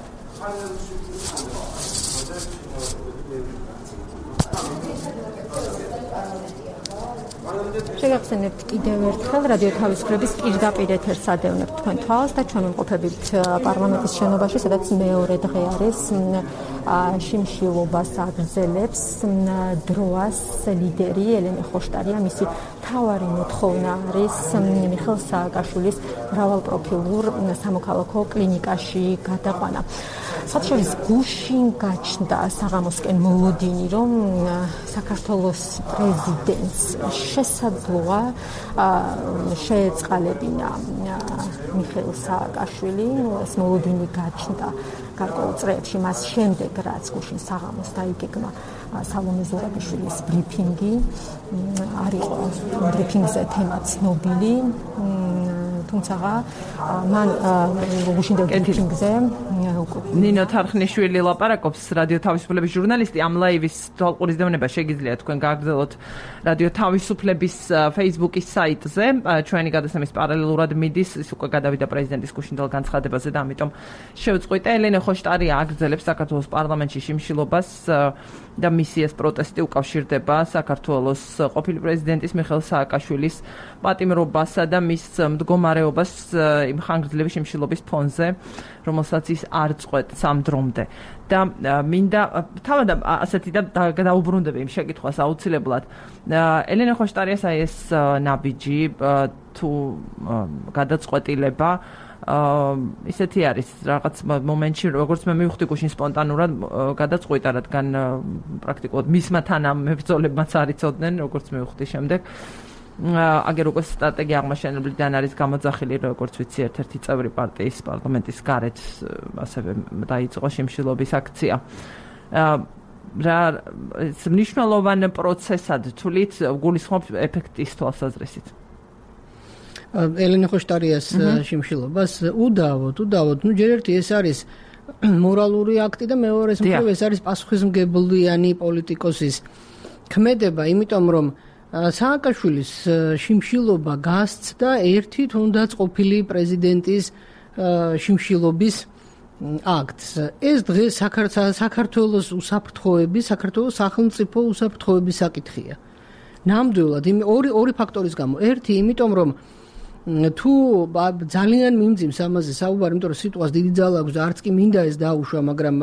შეგახსენებთ კიდევ ერთხელ რადიო თავისუფლების პირდაპირ ეთერს ადევნებთ თქვენ თვალს და ჩვენ ვიმყოფებით პარლამენტის შენობაში, სადაც მეორე დღე არის შიმშილობას აგრძელებს დროას ლიდერი ელენე ხოშტარია. მისი მთავარი მოთხოვნა არის მიხეილ სააკაშვილის მრავალპროფილურ სამოქალაქო კლინიკაში გადაყვანა. საჩურის გუშინ გაჩნდა საღამოსკენ მოლოდინი, რომ საქართველოს პრეზიდენტს შესაძლოა შეეწყალებინა მიხეილ სააკაშვილი. ეს მოლოდინი გაჩნდა გარკვეულ წრეებში, მას შემდეგ რაც გუშინ საღამოს დაიგეგმა სალომე ზურაბიშვილის ბრიფინგი. არ იყო ბრიფინგზე თემა ცნობილი, თუმცა მან გუშინ ბრიფინგზე ნინო თარხნიშვილი ლაპარაკობს, რადიო თავისუფლების ჟურნალისტი. ამ ლაივის თვალყურის დევნება შეგიძლიათ თქვენ გააგრძელოთ რადიო თავისუფლების Facebook-ის საიტზე. ჩვენი გადაცემის პარალელურად მიდის, ის უკვე გადავიდა პრეზიდენტის გუშინდელ განცხადებაზე და ამიტომ შევწყვიტე. ელენე ხოშტარია აგრძელებს საქართველოს პარლამენტში შიმშილობას და მისი ეს პროტესტი უკავშირდება საქართველოს ყოფილი პრეზიდენტის მიხეილ სააკაშვილის პატიმრობასა და მის მდგომარეობას იმ ხანგრძლივი შიმშილობის ფონზე, რომელსაც ის არ წყვეტს ამ დრომდე. და მინდა თავად ასეთი და დაუბრუნდები იმ შეკითხვას აუცილებლად. ელენე ხოშტარიას აი ეს ნაბიჯი თუ გადაწყვეტილება ისეთი არის რაღაც მომენტში, როგორც მე მივხვდი გუშინ სპონტანურად გადაწყვიტა, რადგან პრაქტიკულად მისმა თანამებრძოლებმაც არ იცოდნენ, როგორც მივხვდი შემდეგ. აგერ უკვე სტრატეგია აღმაშენებლიდან არის გამოძახილი, როგორც ვიცი, ერთ-ერთი წევრი პარტიის პარლამენტის გარეთ ასევე დაიწყო შიმშილობის აქცია. რა მნიშვნელოვან პროცესად თვლით გულისხმობ ეფექტის თვალსაზრისით? ელენე ხოშტარიას შიმშილობას უდავოდ, უდავოდ, ну ჯერ ერთი ეს არის მორალური აქტი და მეორეს მხრივ ეს არის პასუხისმგებლიანი პოლიტიკოსის ქმედება, იმიტომ რომ სააკაშვილის შიმშილობა გასცდა ერთი თუნდაც ყოფილი პრეზიდენტის შიმშილობის აქტს. ეს დღეს საქართველოს უსაფრთხოების, საქართველოს სახელმწიფო უსაფრთხოების საკითხია. ნამდვილად ორი ორი ფაქტორის გამო. ერთი, იმიტომ რომ თუ ძალიან მიმძიმს ამაზე საუბარი, იმიტომ რომ სიტყვას დიდი ძალა აქვს და არც კი მინდა ეს დაუშვა, მაგრამ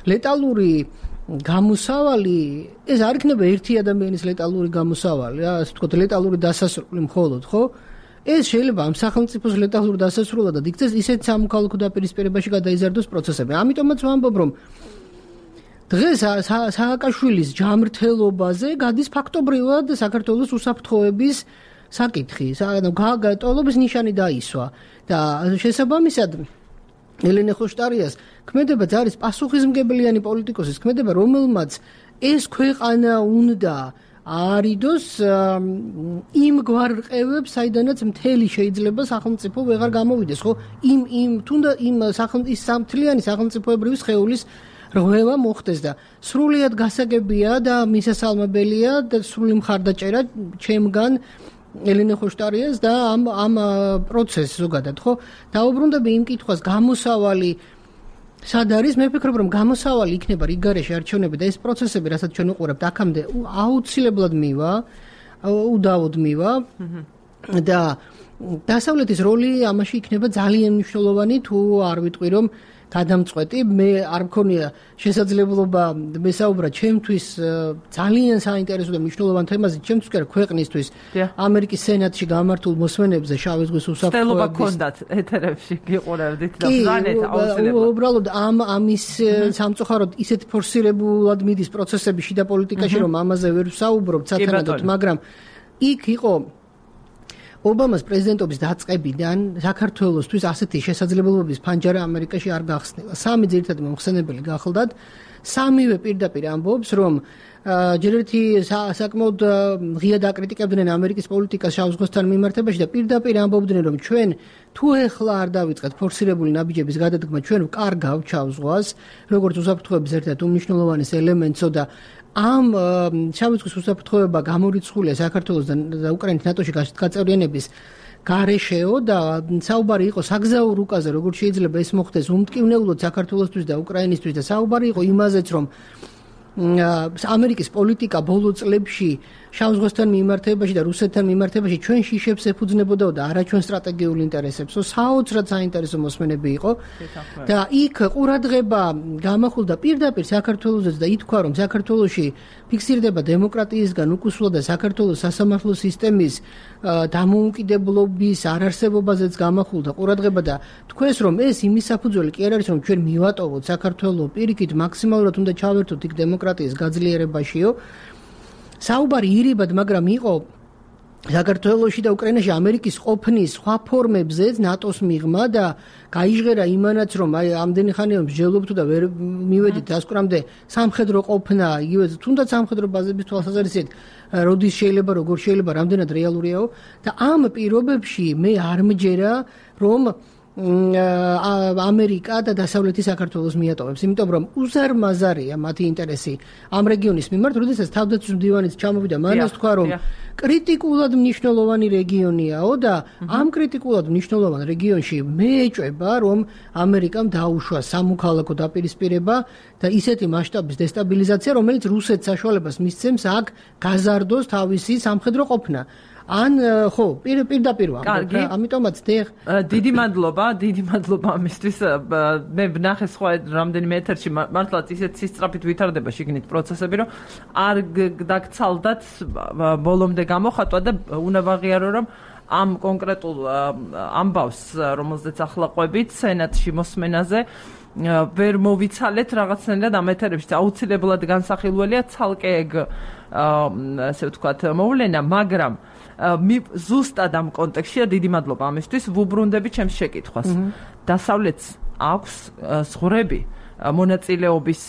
ლეტალური გამოსავალი, ეს არ იქნება ერთი ადამიანის ლეტალური გამოსავალი, რა, ასე ვთქვათ, ლეტალური დასასრული მხოლოდ, ხო? ეს შეიძლება ამ სახელმწიფოს ლეტალური დასასრულადად იქცეს ისეთ სამოქალაქო დაპირისპირებაში გადაიზარდოს პროცესები. ამიტომაც ვამბობ, რომ დღეს სააკაშვილის ჯამრთელობაზე გადის ფაქტობრივად საქართველოს უსაფრთხოების საკითხი. ტოლობის ნიშანი დაისვა და შესაბამისად ელენე ხოშტარიას ქმედებაც არის პასუხისმგებლიანი პოლიტიკოსის ქმედება, რომელმაც ეს ქვეყანა უნდა არიდოს იმ გვარ რყევებს, საიდანაც მთელი შეიძლება სახელმწიფო ვეღარ გამოვიდეს, ხო? იმ იმ თუნდა იმ სახელმწიფო სამთლიანი სახელმწიფოებრივი სხეულის რღვევა მოხდეს და სრულიად გასაგებია და მისასალმებელია და სრული მხარდაჭერა ჩემგან ელენე ხოშტარიას და ამ ამ პროცესს ზოგადად, ხო? დაუბრუნდები იმ კითხვას, გამოსავალი სად არის? მე ვფიქრობ, რომ გამოსავალი იქნება რიგგარეშე არჩევნები და ეს პროცესები, რასაც ჩვენ უყურებთ, აქამდე აუცილებლად მივა, უდავოდ მივა და დასავლეთის როლი ამაში იქნება ძალიან მნიშვნელოვანი, თუ არ ვიტყვი, რომ გადამწყვეტი. მე არ მქონია შესაძლებლობა მესაუბრა ჩემთვის ძალიან საინტერესო და მნიშვნელოვან თემაზე, ჩემთვის კი არა, ქვეყნისთვის, ამერიკის სენატში გამართულ მოსმენებზე შავი ზღვის უსაფრთხოების. სტელობა გქონდათ ეთერებში გიყურებდით და ბრძანეთ აუცილებლად. უბრალოდ ამ ამის სამწუხაროდ ისეთ ფორსირებულად მიდის პროცესები შიდა პოლიტიკაში, რომ ამაზე ვერ ვსაუბრობ სათანადოდ, მაგრამ იქ იყო ობამას პრეზიდენტობის დაწყებიდან საქართველოსთვის ასეთი შესაძლებლობების ფანჯარა ამერიკაში არ გახსნილა. სამი ძირითადი მომხსენებელი გახლდათ. სამივე პირდაპირ ამბობს, რომ ჯერ ერთი საკმაოდ ღიად აკრიტიკებდნენ ამერიკის პოლიტიკას შავ ზღვასთან მიმართებაში და პირდაპირ ამბობდნენ, რომ ჩვენ თუ ეხლა არ დავიწყეთ ფორსირებული ნაბიჯების გადადგმა, ჩვენ ვკარგავთ შავ ზღვას, როგორც უსაფრთხოების ერთ-ერთ უმნიშვნელოვანეს ელემენტსო და ამ შავი ზღვის უსაფრთხოება გამორიცხულია საქართველოს და უკრაინის ნატოში გაწევრიანების გარეშეო და საუბარი იყო საგზაო რუკაზე, როგორც შეიძლება ეს მოხდეს უმტკივნეულოდ საქართველოსთვის და უკრაინისთვის და საუბარი იყო იმაზეც, რომ ამერიკის პოლიტიკა ბოლო წლებში შავ ზღვასთან მიმართებაში და რუსეთთან მიმართებაში ჩვენ შიშებს ეფუძნებოდაო და არა ჩვენ სტრატეგიულ ინტერესებსო, საოცრად საინტერესო მოსმენები იყო და იქ ყურადღება გამახვილდა პირდაპირ საქართველოსაც და ითქვა, რომ საქართველოში ფიქსირდება დემოკრატიისგან უკუსვლა და საქართველოს სასამართლო სისტემის დამოუკიდებლობის არარსებობაზეც გამახვილდა ყურადღება და თქვენს, რომ ეს იმის საფუძველი კი არ არის, რომ ჩვენ მივატოვოთ საქართველოს პირიქით მაქსიმალურად უნდა ჩავერთოთ იქ დემოკრატიის გაძლიერებაშიო. საუბარი ირიბად, მაგრამ იყო საქართველოში და უკრაინაში ამერიკის ყოფნის სხვა ფორმებზეც ნატოს მიღმა და გაიჟღერა იმანაც, რომ აი ამდენი ხანია მსჯელობთ და ვერ მივედით დასკვნამდე სამხედრო ყოფნა, იგივე თუნდაც სამხედრო ბაზების თვალსაზრისით, როდის შეიძლება, როგორ შეიძლება, რამდენად რეალურიაო და ამ პირობებში მე არ მჯერა, რომ ამერიკა და დასავლეთი საქართველოს მიატოვებს, იმიტომ რომ უზარმაზარია მათი ინტერესი ამ რეგიონის მიმართ, როდესაც თავდაცვის მდივანიც ჩამოვიდა, მანაც თქვა, რომ კრიტიკულად მნიშვნელოვანი რეგიონიაო და ამ კრიტიკულად მნიშვნელოვან რეგიონში მე ეჭვება, რომ ამერიკამ დაუშვა სამოქალაქო დაპირისპირება და ისეთი მასშტაბის დესტაბილიზაცია, რომელიც რუსეთს საშუალებას მისცემს აქ გაზარდოს თავისი სამხედრო ყოფნა. ან ხო, პირდაპირ ვამბობ, ამიტომაც დიახ. დიდი მადლობა, დიდი მადლობა ამისთვის. მე ვნახე სხვა რამდენიმე ეთერში მართლაც ისეთ სისწრაფით ვითარდება შიგნით პროცესები, რომ არ დაგცალდათ ბოლომდე გამოხატვა და უნდა ვაღიარო, რომ ამ კონკრეტულ ამბავს, რომელზეც ახლა ყვებით სენატში მოსმენაზე ვერ მოვიცალეთ რაღაცნაირად ამ ეთერებში. აუცილებლად განსახილველია ცალკე ეგ ასე ვთქვათ მოვლენა, მაგრამ ზუსტად ამ კონტექსტში დიდი მადლობა ამისთვის. ვუბრუნდები ჩემს შეკითხვას. დასავლეთს აქვს ზღვრები მონაწილეობის,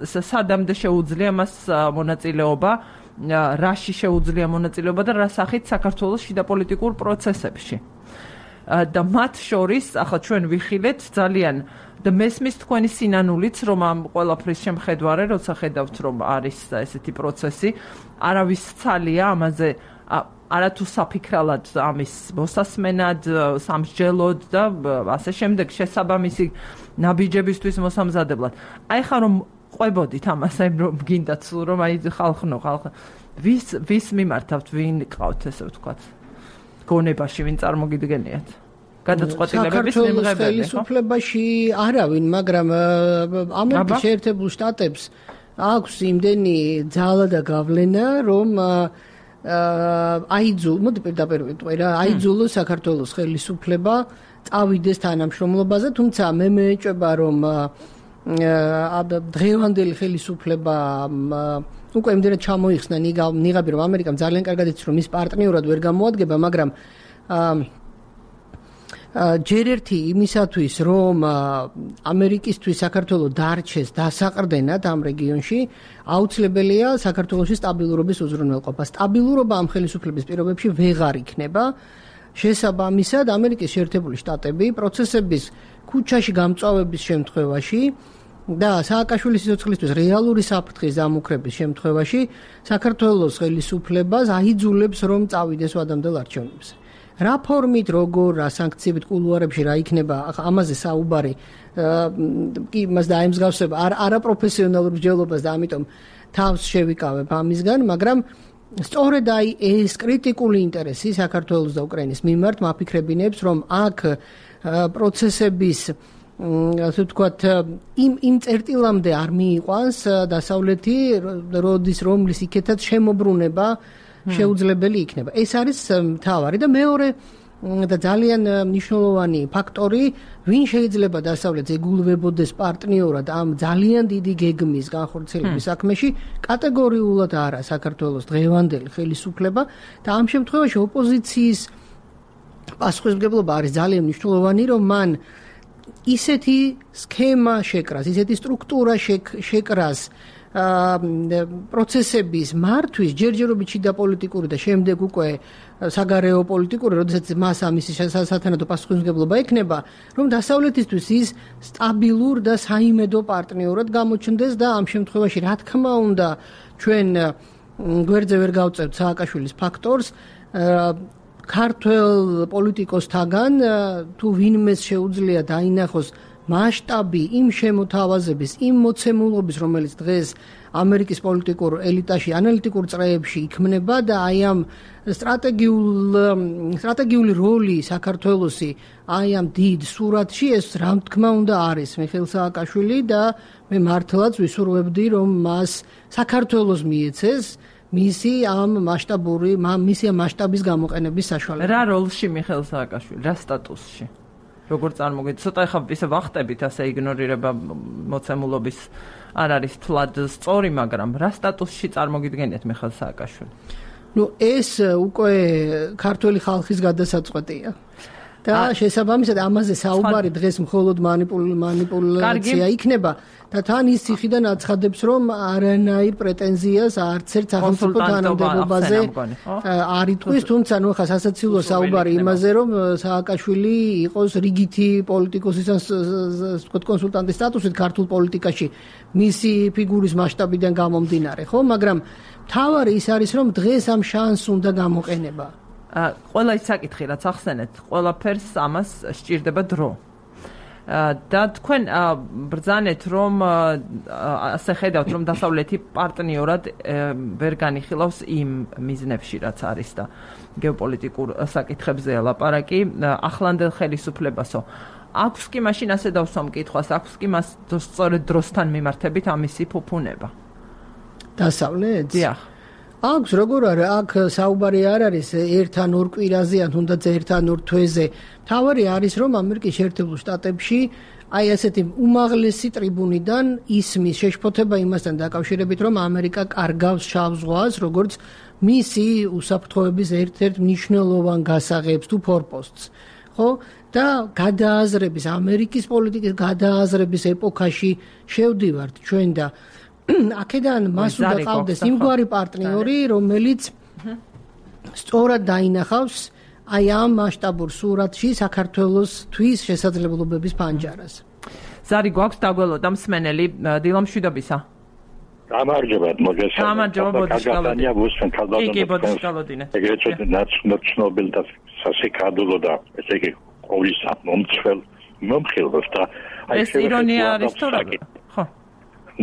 სადამდე შეუძლია მას მონაწილეობა, რაში შეუძლია მონაწილეობა და რა სახით საქართველოს შიდა პოლიტიკურ პროცესებში. და მათ შორის ახლა ჩვენ ვიხილეთ ძალიან და მესმის თქვენი სინანულიც, რომ ამ ყველაფრის შემხედვარე, როცა ხედავთ, რომ არის ესეთი პროცესი, არავის ცალია ამაზე არათუ საფიქრალად ამის მოსასმენად, სამსჯელოდ და ასე შემდეგ შესაბამისი ნაბიჯებისთვის მოსამზადებლად. აი ხა რომ ყვებოდით ამას, აი რომ გინდათ სულ რომ აი ხალხნო ხალხ ვის ვის მიმართავთ, ვინ ყავთ ესე ვთქვათ გონებაში, ვინ წარმოგიდგენიათ გადაწყვეტილებების მიმღებები, ხო? ხელისუფლებაში არავინ, მაგრამ ამერიკის შეერთებულ შტატებს აქვს იმდენი ძალა და გავლენა, რომ აიძულ, მოდი პირდაპირ ვიტყვი რა, აიძულო საქართველოს ხელისუფლება წავიდეს თანამშრომლობაზე, თუმცა მე მეეჭვება, რომ დღევანდელი ხელისუფლება უკვე იმდენად ჩამოიხსნა ნიღაბი, რომ ამერიკამ ძალიან კარგად იცის, რომ ის პარტნიორად ვერ გამოადგება, მაგრამ ჯერ ერთი იმისათვის, რომ ამერიკისთვის საქართველოს დარჩეს დასაყრდენად ამ რეგიონში, აუცილებელია საქართველოში სტაბილურობის უზრუნველყოფა. სტაბილურობა ამ ხელისუფლების პირობებში ვეღარ იქნება. შესაბამისად, ამერიკის შეერთებული შტატები პროცესების ქუჩაში გამწვავების შემთხვევაში და სააკაშვილის სიცოცხლისთვის რეალური საფრთხის დამუქრების შემთხვევაში საქართველოს ხელისუფლებას აიძულებს, რომ წავიდეს ვადამდელ არჩევნებზე. რა ფორმით, როგორ, რა სანქციებით, კულუარებში რა იქნება, ამაზე საუბარი კი მას დაემსგავსება არაპროფესიონალურ მსჯელობას და ამიტომ თავს შევიკავებ ამისგან, მაგრამ სწორედ აი ეს კრიტიკული ინტერესი საქართველოს და უკრაინის მიმართ მაფიქრებინებს, რომ აქ პროცესების ასე ვთქვათ იმ იმ წერტილამდე არ მიიყვანს დასავლეთი, როდის რომლის იქეთაც შემოbrunება შეუძლებელი იქნება. ეს არის მთავარი და მეორე და ძალიან მნიშვნელოვანი ფაქტორი, ვინ შეიძლება დასავლეთს ეგულვებოდეს პარტნიორად ამ ძალიან დიდი გეგმის განხორციელების საქმეში, კატეგორიულად არა საქართველოს დღევანდელი ხელისუფლება და ამ შემთხვევაში ოპოზიციის პასუხისმგებლობა არის ძალიან მნიშვნელოვანი, რომ მან ისეთი სქემა შეკრას, ისეთი სტრუქტურა შეკრას პროცესების მართვის ჯერჯერობით შიდა პოლიტიკური და შემდეგ უკვე საგარეო პოლიტიკური, როდესაც მას ამისი სათანადო პასუხისმგებლობა ექნება, რომ დასავლეთისთვის ის სტაბილურ და საიმედო პარტნიორად გამოჩნდეს და ამ შემთხვევაში რა თქმა უნდა ჩვენ გვერდზე ვერ გავწევთ სააკაშვილის ფაქტორს, ქართველ პოლიტიკოსთაგან თუ ვინმეს შეუძლია დაინახოს მასშტაბი იმ შემოთავაზების, იმ მოცემულობის, რომელიც დღეს ამერიკის პოლიტიკურ ელიტაში, ანალიტიკურ წრეებში იქმნება და აი ამ სტრატეგიულ სტრატეგიული როლი საქართველოსი აი ამ დიდ სურათში ეს რა თქმა უნდა არის მიხეილ სააკაშვილი და მე მართლაც ვისურვებდი რომ მას საქართველოს მიეცეს მისი ამ მასშტაბური, მისი ამ მასშტაბის გამოყენების საშუალება. რა როლში მიხეილ სააკაშვილი, რა სტატუსში? როგორ წარმოგიდგენთ? ცოტა ხა ისე ვახტებით ასე იგნორირება მოცემულობის არ არის თლად სწორი, მაგრამ რა სტატუსში წარმოგიდგენთ მიხეილ სააკაშვილი? ნუ ეს უკვე ქართული ხალხის გადასაწყვეტია. და შესაბამისად ამაზე საუბარი დღეს მხოლოდ მანიპულაცია იქნება და თან ის ციხიდან აცხადებს რომ არანაირ პრეტენზიას არც ერთ სახელმწიფო თანამდებობაზე არ იტყვის, თუმცა ნუ ხა სასაცილო საუბარი იმაზე რომ სააკაშვილი იყოს რიგითი პოლიტიკოსის ვთქვათ კონსულტანტის სტატუსით ქართულ პოლიტიკაში მისი ფიგურის მასშტაბიდან გამომდინარე, ხო? მაგრამ მთავარი ის არის რომ დღეს ამ შანსს უნდა გამოყენება. ყველა ის საკითხი რაც ახსენეთ, ყველაფერს ამას სჭირდება დრო. და თქვენ ბრძანეთ რომ ასე ხედავთ რომ დასავლეთი პარტნიორად ვერ განიხილავს იმ მიზნებში რაც არის და გეოპოლიტიკურ საკითხებზეა ლაპარაკი ახლანდელ ხელისუფლებასო. აქვს კი მაშინ ასე დავსვამ კითხვას, აქვს კი მას სწორედ დროსთან მიმართებით ამისი ფუფუნება. დასავლეთს? დიახ. აქვს როგორ არა, აქ საუბარი არ არის ერთ ან ორ კვირაზე, ან თუნდაც ერთ ან ორ თვეზე. მთავარი არის რომ ამერიკის შეერთებულ შტატებში აი ასეთი უმაღლესი ტრიბუნიდან ისმის შეშფოთება იმასთან დაკავშირებით, რომ ამერიკა კარგავს შავ ზღვას, როგორც მისი უსაფრთხოების ერთ-ერთ მნიშვნელოვან გასაღებს თუ ფორპოსტს. ხო? და გადააზრების, ამერიკის პოლიტიკის გადააზრების ეპოქაში შევდივართ ჩვენ და აქედან მას უნდა ყავდეს იმგვარი პარტნიორი, რომელიც სწორად დაინახავს აი ამ მასშტაბურ სურათში საქართველოსთვის შესაძლებლობების პანჯარას. ზარი გვაქვს დაგველოდა მსმენელი დილამშვიდობისა. გამარჯობა, მოგესალმებით. გამარჯობა, ბოდიშკალოდინე. კი, ბოდიშკალოდინე. ეგრეთ ნაცნობილ და სასიკადულო და ესე იგი ყოვლის მომცველ მომხილვას და ეს ირონია არის თუ რა? ხო.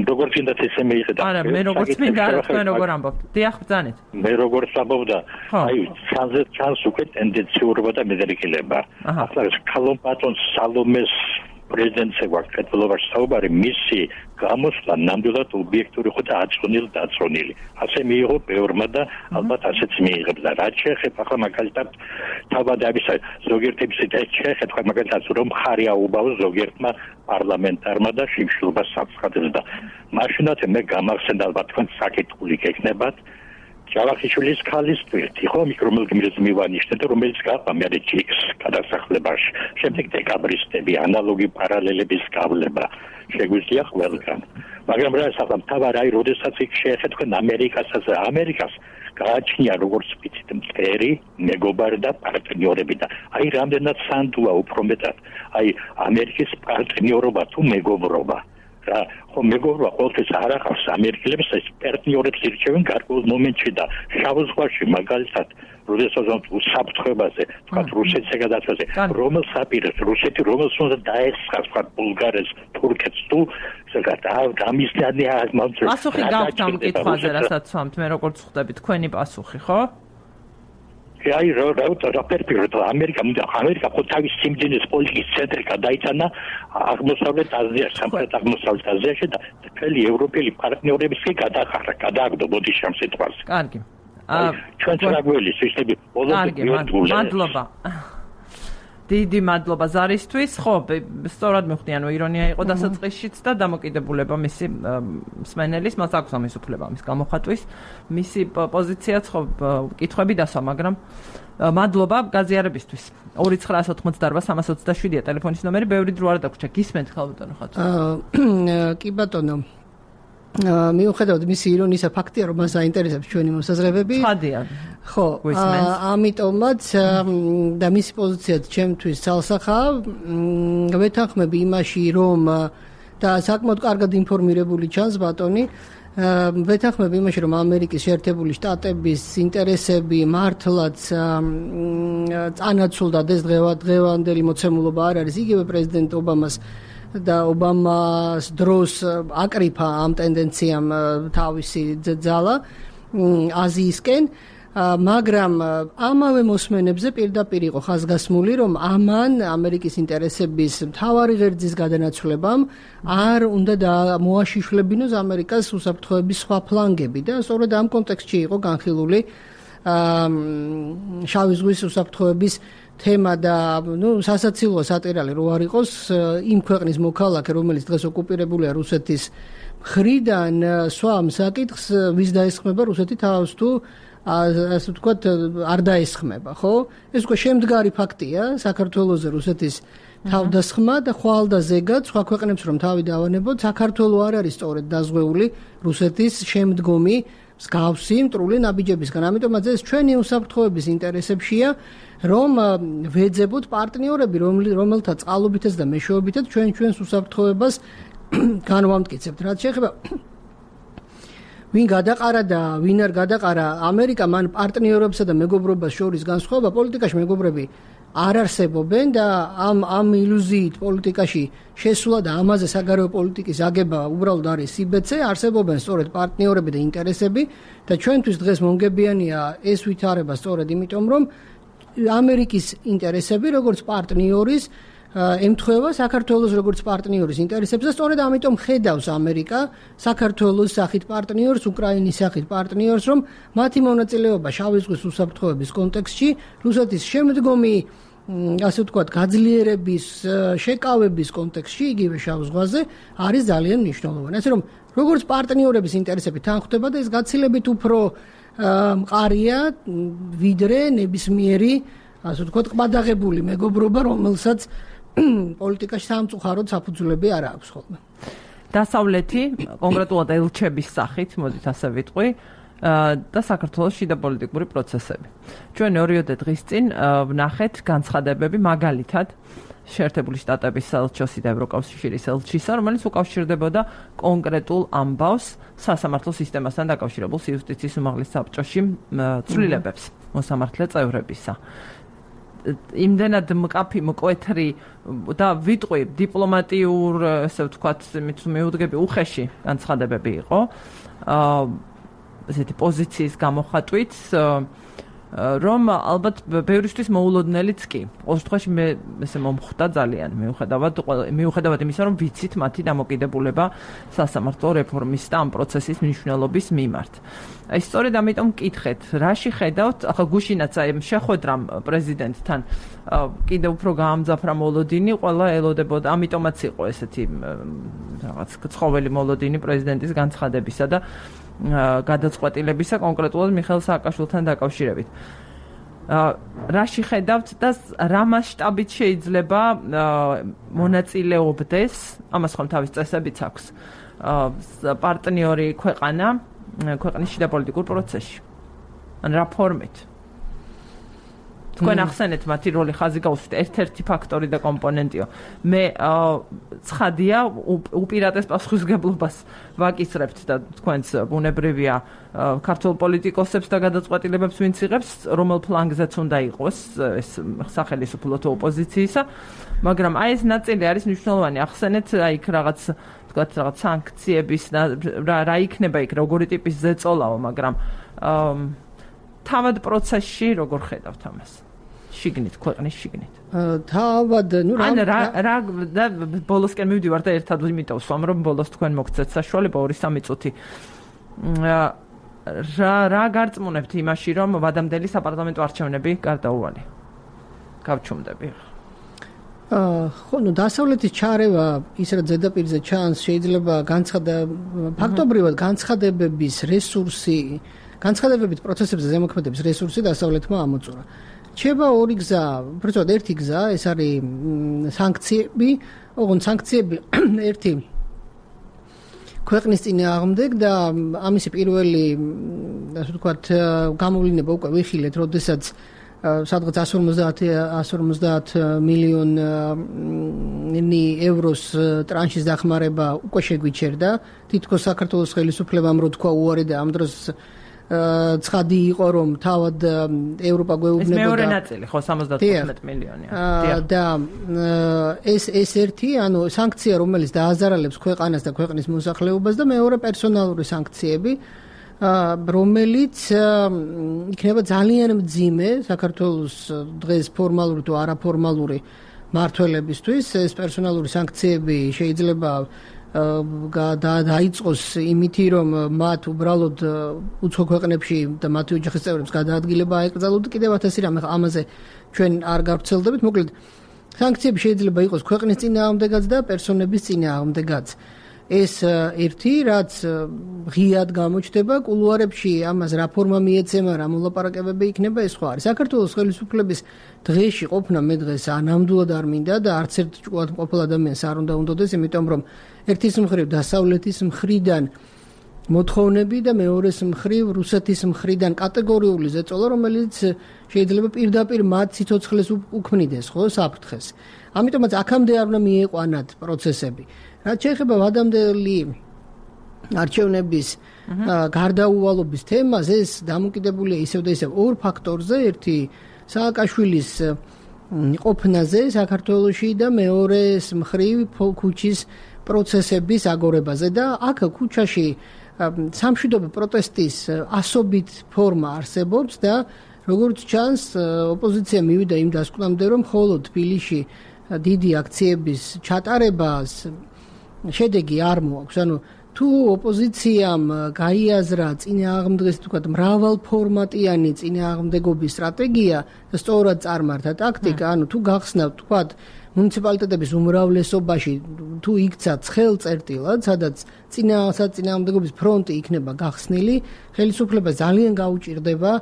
როგორც ინდა ესე მეიხედა. არა, მე როგორც მინდა თქვენ როგორ ამბობთ. დიახ, ბრძანეთ. მე როგორც ამბობდა, აი, ჩანზე ჩანს უკვე ტენდენციურობა და მედრიკილება. ახლა კალომპატონს სალომეს პრეზიდენტზე გვაქვს კეთილობაში საუბარი, მისი გამოსვლა ნამდვილად ობიექტური ხო და აწონილი და აწონილი. ასე მიიღო ბევრმა და ალბათ ასეც მიიღებს და რაც შეეხება ახლა მაგალითად თავადამისა ზოგიერთების ეს შეეხება მაგალითად რომ ხარი აუბავს ზოგიერთმა პარლამენტარმა და შიმშილობას საცხადებს და მაშინაც მე გამახსენდა ალბათ თქვენ საკითხული გექნებათ ჯავახიშვილის ქალის თვირთი ხო მიკრომილგმირს მივანიშნეთ რომელიც გაყვა მე ჯიქს გადასახლებაში შემდეგ დეკაბრისტები ანალოგი პარალელების გავლება შეგვიძლია ყველგან მაგრამ რა საერთოდ მთავარი აი როდესაც იქ შეეხეთ თქვენ ამერიკასაც ამერიკას გააჩნია როგორც ვიცით მტერი მეგობარი და პარტნიორები და აი რამდენად სანდუა უფრო მეტად აი ამერიკის პარტნიორობა თუ მეგობრობა რა ხო მეგობრობა ყოველთვის არ ახავს ამერიკელებს ეს პარტნიორებს ირჩევენ გარკვეულ მომენტში და შავ ზღვაში მაგალითად როდესაც უსაფრთხოებაზე თქვა რუსეთზე გადაწყვეტზე რომელ საპირეს რუსეთი რომელს უნდა დაეხსხას თქვა ბულგარეთს თურქეთს თუ ზოგადად გამისდანი არ მომწონს პასუხი გაქვთ ამ კითხვაზე რასაც ვამთ მე როგორც ხვდები თქვენი პასუხი ხო აი რა რა რა პერპიროტა ამერიკა ამერიკა ხო თავის სიმძიმის პოლიტიკის ცენტრი გადაიტანა აღმოსავლეთ აზიაში სამხრეთ აღმოსავლეთ აზიაში და მთელი ევროპელი პარტნიორების კი გადახარა გადააგდო ბოდიშამ სიტყვას კარგი ჩვენ წაგველის ისები ბოლომდე მადლობა დიდი მადლობა ზარისთვის. ხო, სწორად მივხვდი, ანუ ირონია იყო დასაწყისშიც და დამოკიდებულება მისი მსმენელის, მას აქვს ამის უფლება ამის გამოხატვის. მისი პოზიციაც ხო კითხვები დასვა, მაგრამ მადლობა გაზიარებისთვის. ორი ცხრა ოთხმოცდაარბა სამას ოცდაშვიდია ტელეფონის ნომერი, ბევრი დრო არ დაგვრჩა. გისმენთ ხალბატონო ხატო. კი ბატონო. მიუხედავად მისი ირონისა ფაქტია, რომ მას აინტერესებს ჩვენი მოსაზრებები. ცხადია. ხო, ამიტომაც და მისი პოზიციაც ჩემთვის ცალსახაა. ვეთანხმები იმაში, რომ და საკმაოდ კარგად ინფორმირებული ჩანს ბატონი, ვეთანხმები იმაში, რომ ამერიკის შეერთებული შტატების ინტერესები მართლაც წანაცვლდა და ეს დღევანდელი მოცემულობა არ არის იგივე პრეზიდენტ ობამას და ობამას დროს აკრიფა ამ ტენდენციამ თავისი ძალა აზიისკენ, მაგრამ ამავე მოსმენებზე პირდაპირ იყო ხაზგასმული, რომ ამან ამერიკის ინტერესების მთავარი ღერძის გადანაცვლებამ არ უნდა მოაშიშლებინოს ამერიკას უსაფრთხოების სხვა ფლანგები და სწორედ ამ კონტექსტში იყო განხილული შავი ზღვის უსაფრთხოების თემა და ნუ სასაცილოა სატირალი რო არ იყოს იმ ქვეყნის მოქალაქე, რომელიც დღეს ოკუპირებულია რუსეთის მხრიდან, სვამ საკითხს ვის დაესხმება რუსეთი თავს თუ ასე ვთქვათ არ დაესხმება, ხო? ეს უკვე შემდგარი ფაქტია საქართველოზე რუსეთის თავდასხმა და ხვალ და ზეგად სხვა ქვეყნებს რომ თავი დავანებოთ, საქართველო არ არის სწორედ დაზღვეული რუსეთის შემდგომი მსგავსი მტრული ნაბიჯებისგან. ამიტომაც ეს ჩვენი უსაფრთხოების ინტერესებშია, რომ ვეძებოთ პარტნიორები, რომელთა წყალობითაც და მეშვეობითაც ჩვენ ჩვენს უსაფრთხოებას განვამტკიცებთ. რაც შეეხება ვინ გადაყარა და ვინ არ გადაყარა, ამერიკა მან პარტნიორებსა და მეგობრობას შორის განსხვავება, პოლიტიკაში მეგობრები არ არსებობენ და ამ ამ ილუზიით პოლიტიკაში შესვლა და ამაზე საგარეო პოლიტიკის აგება უბრალოდ არის სიბეცე, არსებობენ სწორედ პარტნიორები და ინტერესები და ჩვენთვის დღეს მომგებიანია ეს ვითარება სწორედ იმიტომ, რომ ამერიკის ინტერესები როგორც პარტნიორის ემთხვევა საქართველოს როგორც პარტნიორის ინტერესებს და სწორედ ამიტომ ხედავს ამერიკა საქართველოს სახით პარტნიორს, უკრაინის სახით პარტნიორს, რომ მათი მონაწილეობა შავი ზღვის უსაფრთხოების კონტექსტში რუსეთის შემდგომი ასე ვთქვათ გაძლიერების, შეკავების კონტექსტში იგივე შავ ზღვაზე არის ძალიან მნიშვნელოვანი. ასე რომ როგორც პარტნიორების ინტერესები თან ხვდება და ეს გაცილებით უფრო მყარია ვიდრე ნებისმიერი ასე ვთქვათ ყბადაღებული მეგობრობა, რომელსაც პოლიტიკაში სამწუხაროდ საფუძვლები არ აქვს ხოლმე. დასავლეთი, კონკრეტულად ელჩების სახით, მოდით ასე ვიტყვი, და საქართველოს შიდა პოლიტიკური პროცესები. ჩვენ ორიოდე დღის წინ ვნახეთ განცხადებები მაგალითად შეერთებული შტატების ელჩოსი და ევროკავშირის ელჩისა, რომელიც უკავშირდებოდა კონკრეტულ ამბავს სასამართლო სისტემასთან დაკავშირებულ იუსტიციის უმაღლეს საბჭოში ცვლილებებს მოსამართლე წევრებისა. იმდენად მკაფი, მკვეთრი და ვიტყვი დიპლომატიურ, ესე ვთქვათ, მიუდგები უხეში განცხადებები იყო. ესეთი პოზიციის გამოხატვით, რომ ალბათ ბევრისთვის მოულოდნელიც კი. ყოველ შემთხვევაში მე ესე მომხვდა ძალიან, მიუხედავად მიუხედავად იმისა, რომ ვიცით მათი დამოკიდებულება სასამართლო რეფორმის და ამ პროცესის მნიშვნელობის მიმართ. აი სწორედ ამიტომ მკითხეთ, რაში ხედავთ, ახლა გუშინაც აი შეხვედრამ პრეზიდენტთან კიდევ უფრო გაამძაფრა მოლოდინი, ყველა ელოდებოდა, ამიტომაც იყო ესეთი რაღაც ცხოველი მოლოდინი პრეზიდენტის განცხადებისა და გადაწყვეტილებისა კონკრეტულად მიხეილ სააკაშვილთან დაკავშირებით. რაში ხედავთ და რა მასშტაბით შეიძლება მონაწილეობდეს, ამას ხომ თავის წესებიც აქვს, პარტნიორი ქვეყანა ქვეყნის შიდა პოლიტიკურ პროცესში. ან რა ფორმით? თქვენ ახსენეთ მათი როლი ხაზი გაუსვით, ერთ-ერთი ფაქტორი და კომპონენტიო. მე ცხადია უპირატეს პასუხისმგებლობას ვაკისრებთ და თქვენც ბუნებრივია ქართულ პოლიტიკოსებს და გადაწყვეტილებებს ვინც იღებს, რომელ ფლანგზეც უნდა იყოს ეს სახელმწიფო თუ ოპოზიციისა, მაგრამ აი ეს ნაწილი არის მნიშვნელოვანი. ახსენეთ აი იქ რაღაც თქვათ რაღაც სანქციების რა იქნება იქ, როგორი ტიპის ზეწოლაო, მაგრამ თავად პროცესში როგორ ხედავთ ამას? შიგნით, ქვეყნის შიგნით. თავად, ნუ რა რა რა და ბოლოსკენ მივდივარ და ერთად იმიტომ ვსვამ, რომ ბოლოს თქვენ მოგცეთ საშუალება ორი სამი წუთი. რა რა გარწმუნებთ იმაში, რომ ვადამდელი საპარლამენტო არჩევნები გარდაუვალია? გავჩუმდები. ხო, ნუ დასავლეთის ჩარევა ის რა ზედაპირზე ჩანს, შეიძლება განცხადა ფაქტობრივად განცხადებების რესურსი, განცხადებებით პროცესებზე ზემოქმედების რესურსი დასავლეთმა ამოწურა. რჩება ორი გზა, უბრალოდ ერთი გზა, ეს არის სანქციები, ოღონდ სანქციები ერთი ქვეყნის წინააღმდეგ და ამისი პირველი, ასე ვთქვათ, გამოვლინება უკვე ვიხილეთ, როდესაც სადღაც εκατόν ორმოცდაათ მილიონი ევროს ტრანშის დახმარება უკვე შეგვიჩერდა. თითქოს საქართველოს ხელისუფლებამ რო თქვა უარი და ამ დროს ცხადი იყო რომ თავად ევროპა გვეუბნებოდა. ეს მეორე ნაწილი ხო სამოცდათხუთმეტ მილიონია. და ეს ეს ერთი, ანუ სანქცია რომელიც დააზარალებს ქვეყანას და ქვეყნის მოსახლეობას და მეორე პერსონალური სანქციები რომელიც იქნება ძალიან მძიმე საქართველოს დღეს ფორმალური თუ არაფორმალური მმართველებისთვის. ეს პერსონალური სანქციები შეიძლება დაიწყოს იმითი რომ მათ უბრალოდ უცხო ქვეყნებში და მათი ოჯახის წევრებს გადაადგილება აეკრძალოთ. კიდევ ათასი რამე ამაზე ჩვენ არ გავრცელდებით. მოკლედ სანქციები შეიძლება იყოს ქვეყნის წინააღმდეგაც და პერსონების წინააღმდეგაც. ეს ერთი, რაც ღიად გამოჩნდება კულუარებში, ამას რა ფორმა მიეცემა, რა მოლაპარაკებები იქნება, ეს ხო არის. საქართველოს ხელისუფლების დღეში ყოფნა მე დღეს ანამდვილად არ მინდა და არც ერთ ჭკუად მყოფილ ადამიანს არ უნდა უნდოდეს, იმიტომ რომ ერთის მხრივ დასავლეთის მხრიდან მოთხოვნები და მეორეს მხრივ რუსეთის მხრიდან კატეგორიული ზეწოლა, რომელიც შეიძლება პირდაპირ მათ სიცოცხლეს უქმნიდეს, ხო, საფრთხეს. ამიტომაც აქამდე არ უნდა მიიყვანათ პროცესები. რაც შეეხება ვადამდელი არჩევნების გარდაუვალობის თემას, ეს დამოკიდებულია ისევ და ისევ ორ ფაქტორზე, ერთი სააკაშვილის ყოფნაზე საქართველოში და მეორეს მხრივ ქუჩის პროცესების აგორებაზე და აქ ქუჩაში სამშვიდობო პროტესტის ასობით ფორმა არსებობს და როგორც ჩანს ოპოზიცია მივიდა იმ დასკვნამდე რომ მხოლოდ თბილისში დიდი აქციების ჩატარებას შედეგი არ მოაქვს. ანუ თუ ოპოზიციამ გაიაზრა წინააღმდეგის თქვა მრავალფორმატიანი წინააღმდეგობის სტრატეგია და სწორად წარმართა ტაქტიკა, ანუ თუ გახსნა თქვა მუნიციპალიტეტების უმრავლესობაში თუ იქცა ცხელ წერტილად, სადაც წინააღმდეგობის ფრონტი იქნება გახსნილი, ხელისუფლება ძალიან გაუჭირდება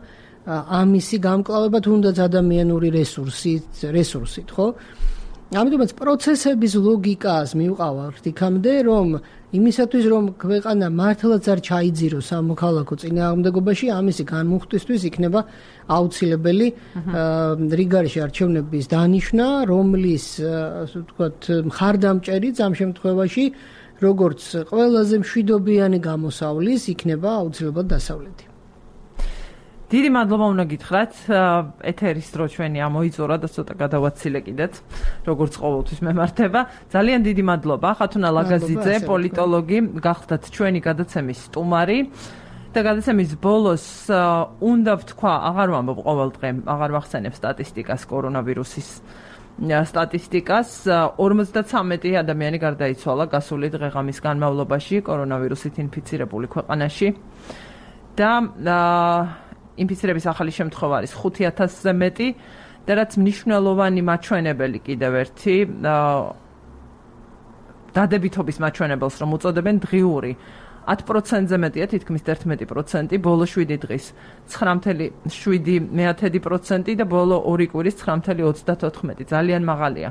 ამისი გამკლავება თუნდაც ადამიანური რესურსით, რესურსით, ხო? ამიტომაც პროცესების ლოგიკას მივყავართ იქამდე, რომ იმისათვის, რომ ქვეყანა მართლაც არ ჩაიძიროს სამოქალაქო წინააღმდეგობაში, ამისი განმუხტვისთვის იქნება აუცილებელი რიგარიში არჩევნების დანიშვნა, რომლის, ასე ვთქვათ, მხარდამჭერიც ამ შემთხვევაში, როგორც ყველაზე მშვიდობიანი გამოსავლის, იქნება აუცილებლად დასავლეთი. დიდი მადლობა უნდა გითხრათ, ეთერის დრო ჩვენი ამოიწურა და ცოტა გადავაცილე კიდეც, როგორც ყოველთვის მემართება. ძალიან დიდი მადლობა, ხათუნა ლაგაზიძე, პოლიტოლოგი, გახდათ ჩვენი გადაცემის სტუმარი და გადაცემის ბოლოს უნდა ვთქვა, აღარ ვამბობ ყოველ დღე, აღარ ვახსენებ სტატისტიკას, კორონავირუსის სტატისტიკას, ორმოცდათრამეტი ადამიანი გარდაიცვალა გასული დღე-ღამის განმავლობაში კორონავირუსით ინფიცირებული ქვეყანაში და ინფიცირების ახალი შემთხვევა არის ხუთი ათასზე მეტი და რაც მნიშვნელოვანი მაჩვენებელი კიდევ ერთი დადებითობის მაჩვენებელს რომ უწოდებენ დღიური ათ პროცენტზე მეტია თითქმის ერთმეტი პროცენტი ბოლო შვიდი დღის ცხრა ათეული შვიდი პროცენტი და ბოლო ორი კვირის ცხრა ოცდათოთხმეტი ძალიან მაღალია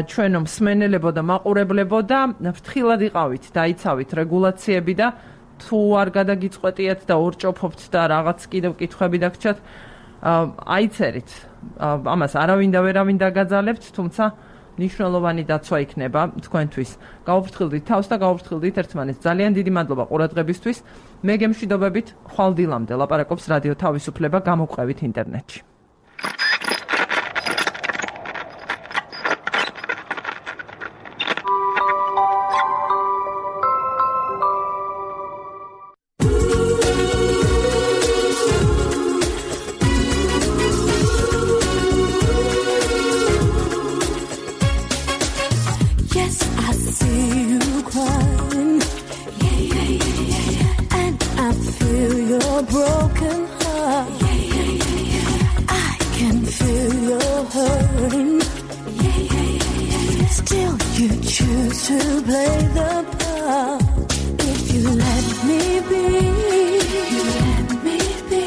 ჩვენო მსმენელებო და მაყურებლებო და ფრთხილად იყავით დაიცავით რეგულაციები და თუ არ გადაგიწყვეტიათ და ორჭოფობთ და რაღაც კიდევ კითხვები დაგჭათ აიცერით ამას არავინ და ვერავინ დაგაძალებთ თუმცა ნიშნულოვანი დაცვა იქნება თქვენთვის გაუფრთხილდით თავს და გაუფრთხილდით ერთმანეთს ძალიან დიდი მადლობა ყურადღებისთვის მე გემშვიდობებით ხვალ დილამდე ლაპარაკობს რადიო თავისუფლება გამოგვყევით ინტერნეტში Yeah, yeah, yeah. play the part. If you let me be, you let me be.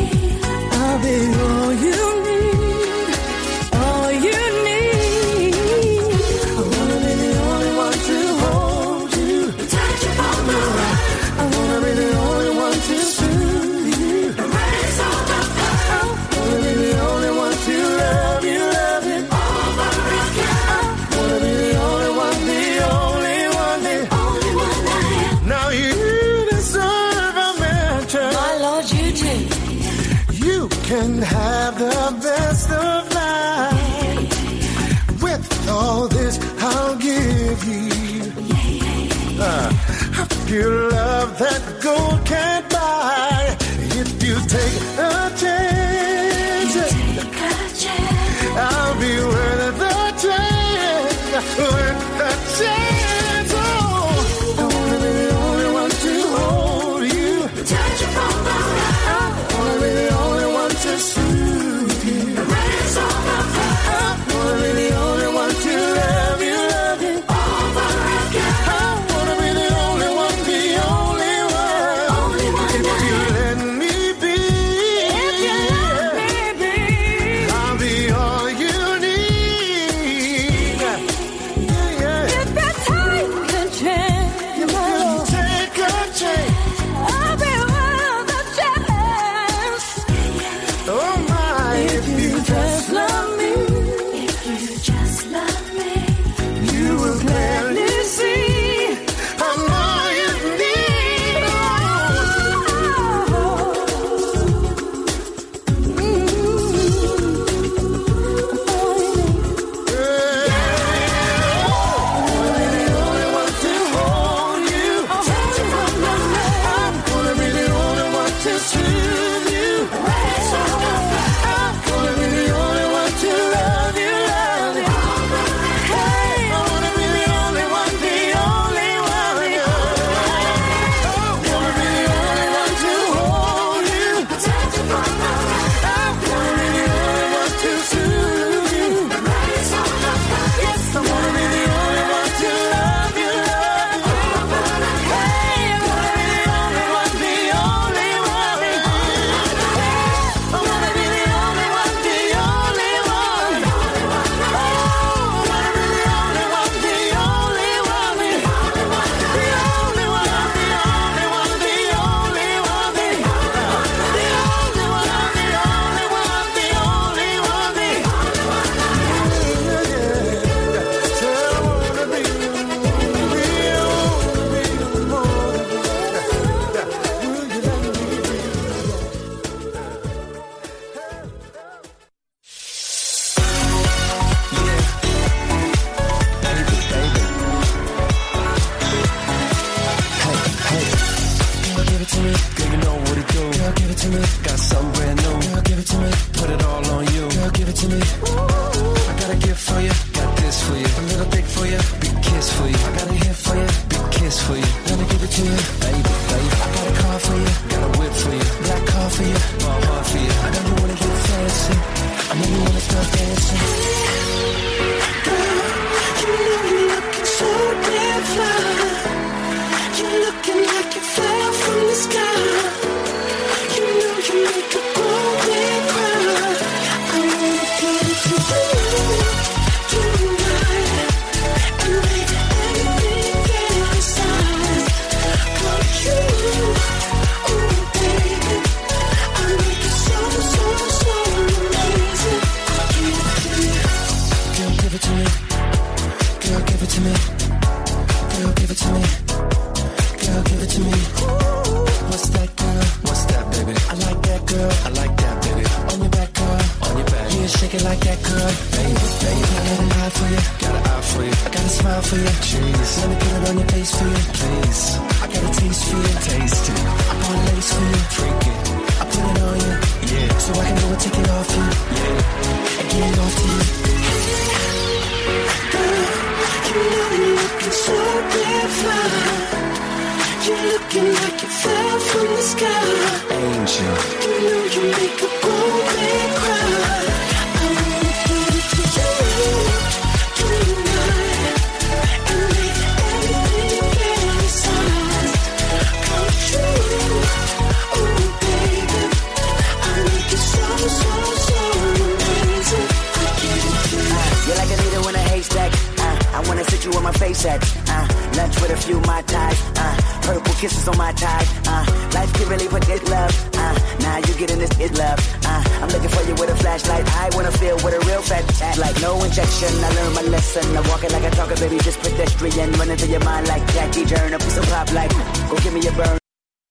I'll be all you need, all you need. I wanna be the only one to hold you, touch you from the right. I wanna be the only one to soothe you, erase all the past. I wanna be the only one to love you, love you over again. I wanna be the only one, the only one, the only one I am. Now you deserve a mansion, my Lord, you do. You can have the best of life. With all this, I'll give you uh, pure love that gold can't buy. If you take a chance, Take a chance. I'll be worth the chance, worth the chance. Oh, I wanna be the only one to hold you, Touch you from the right. I wanna be the only one to soothe you, Erase all the past. I wanna be the only one to love you, love you Over again. I wanna be the only one, the only one. Only one If I you am. let me be, If you let me be. I'll be all you need. Yeah, yeah. If you take a chance, You can take a chance. I'll be worth a chance. Oh my, if you just love me, if you just love me, you will gladly see I'm all you need. Tonight, and make everything perfume, my type. Uh, purple kisses on my tie. Uh, life can really put this love. Uh, now you getting this is love. Uh, I'm looking for you with a flashlight. I wanna feel with a real fat chat. Like no injection. I learned my lesson. I walk it like I talk it, baby. Just pedestrian. Running through your mind like Jackie Journal. Piece of pop like, go give me a burn.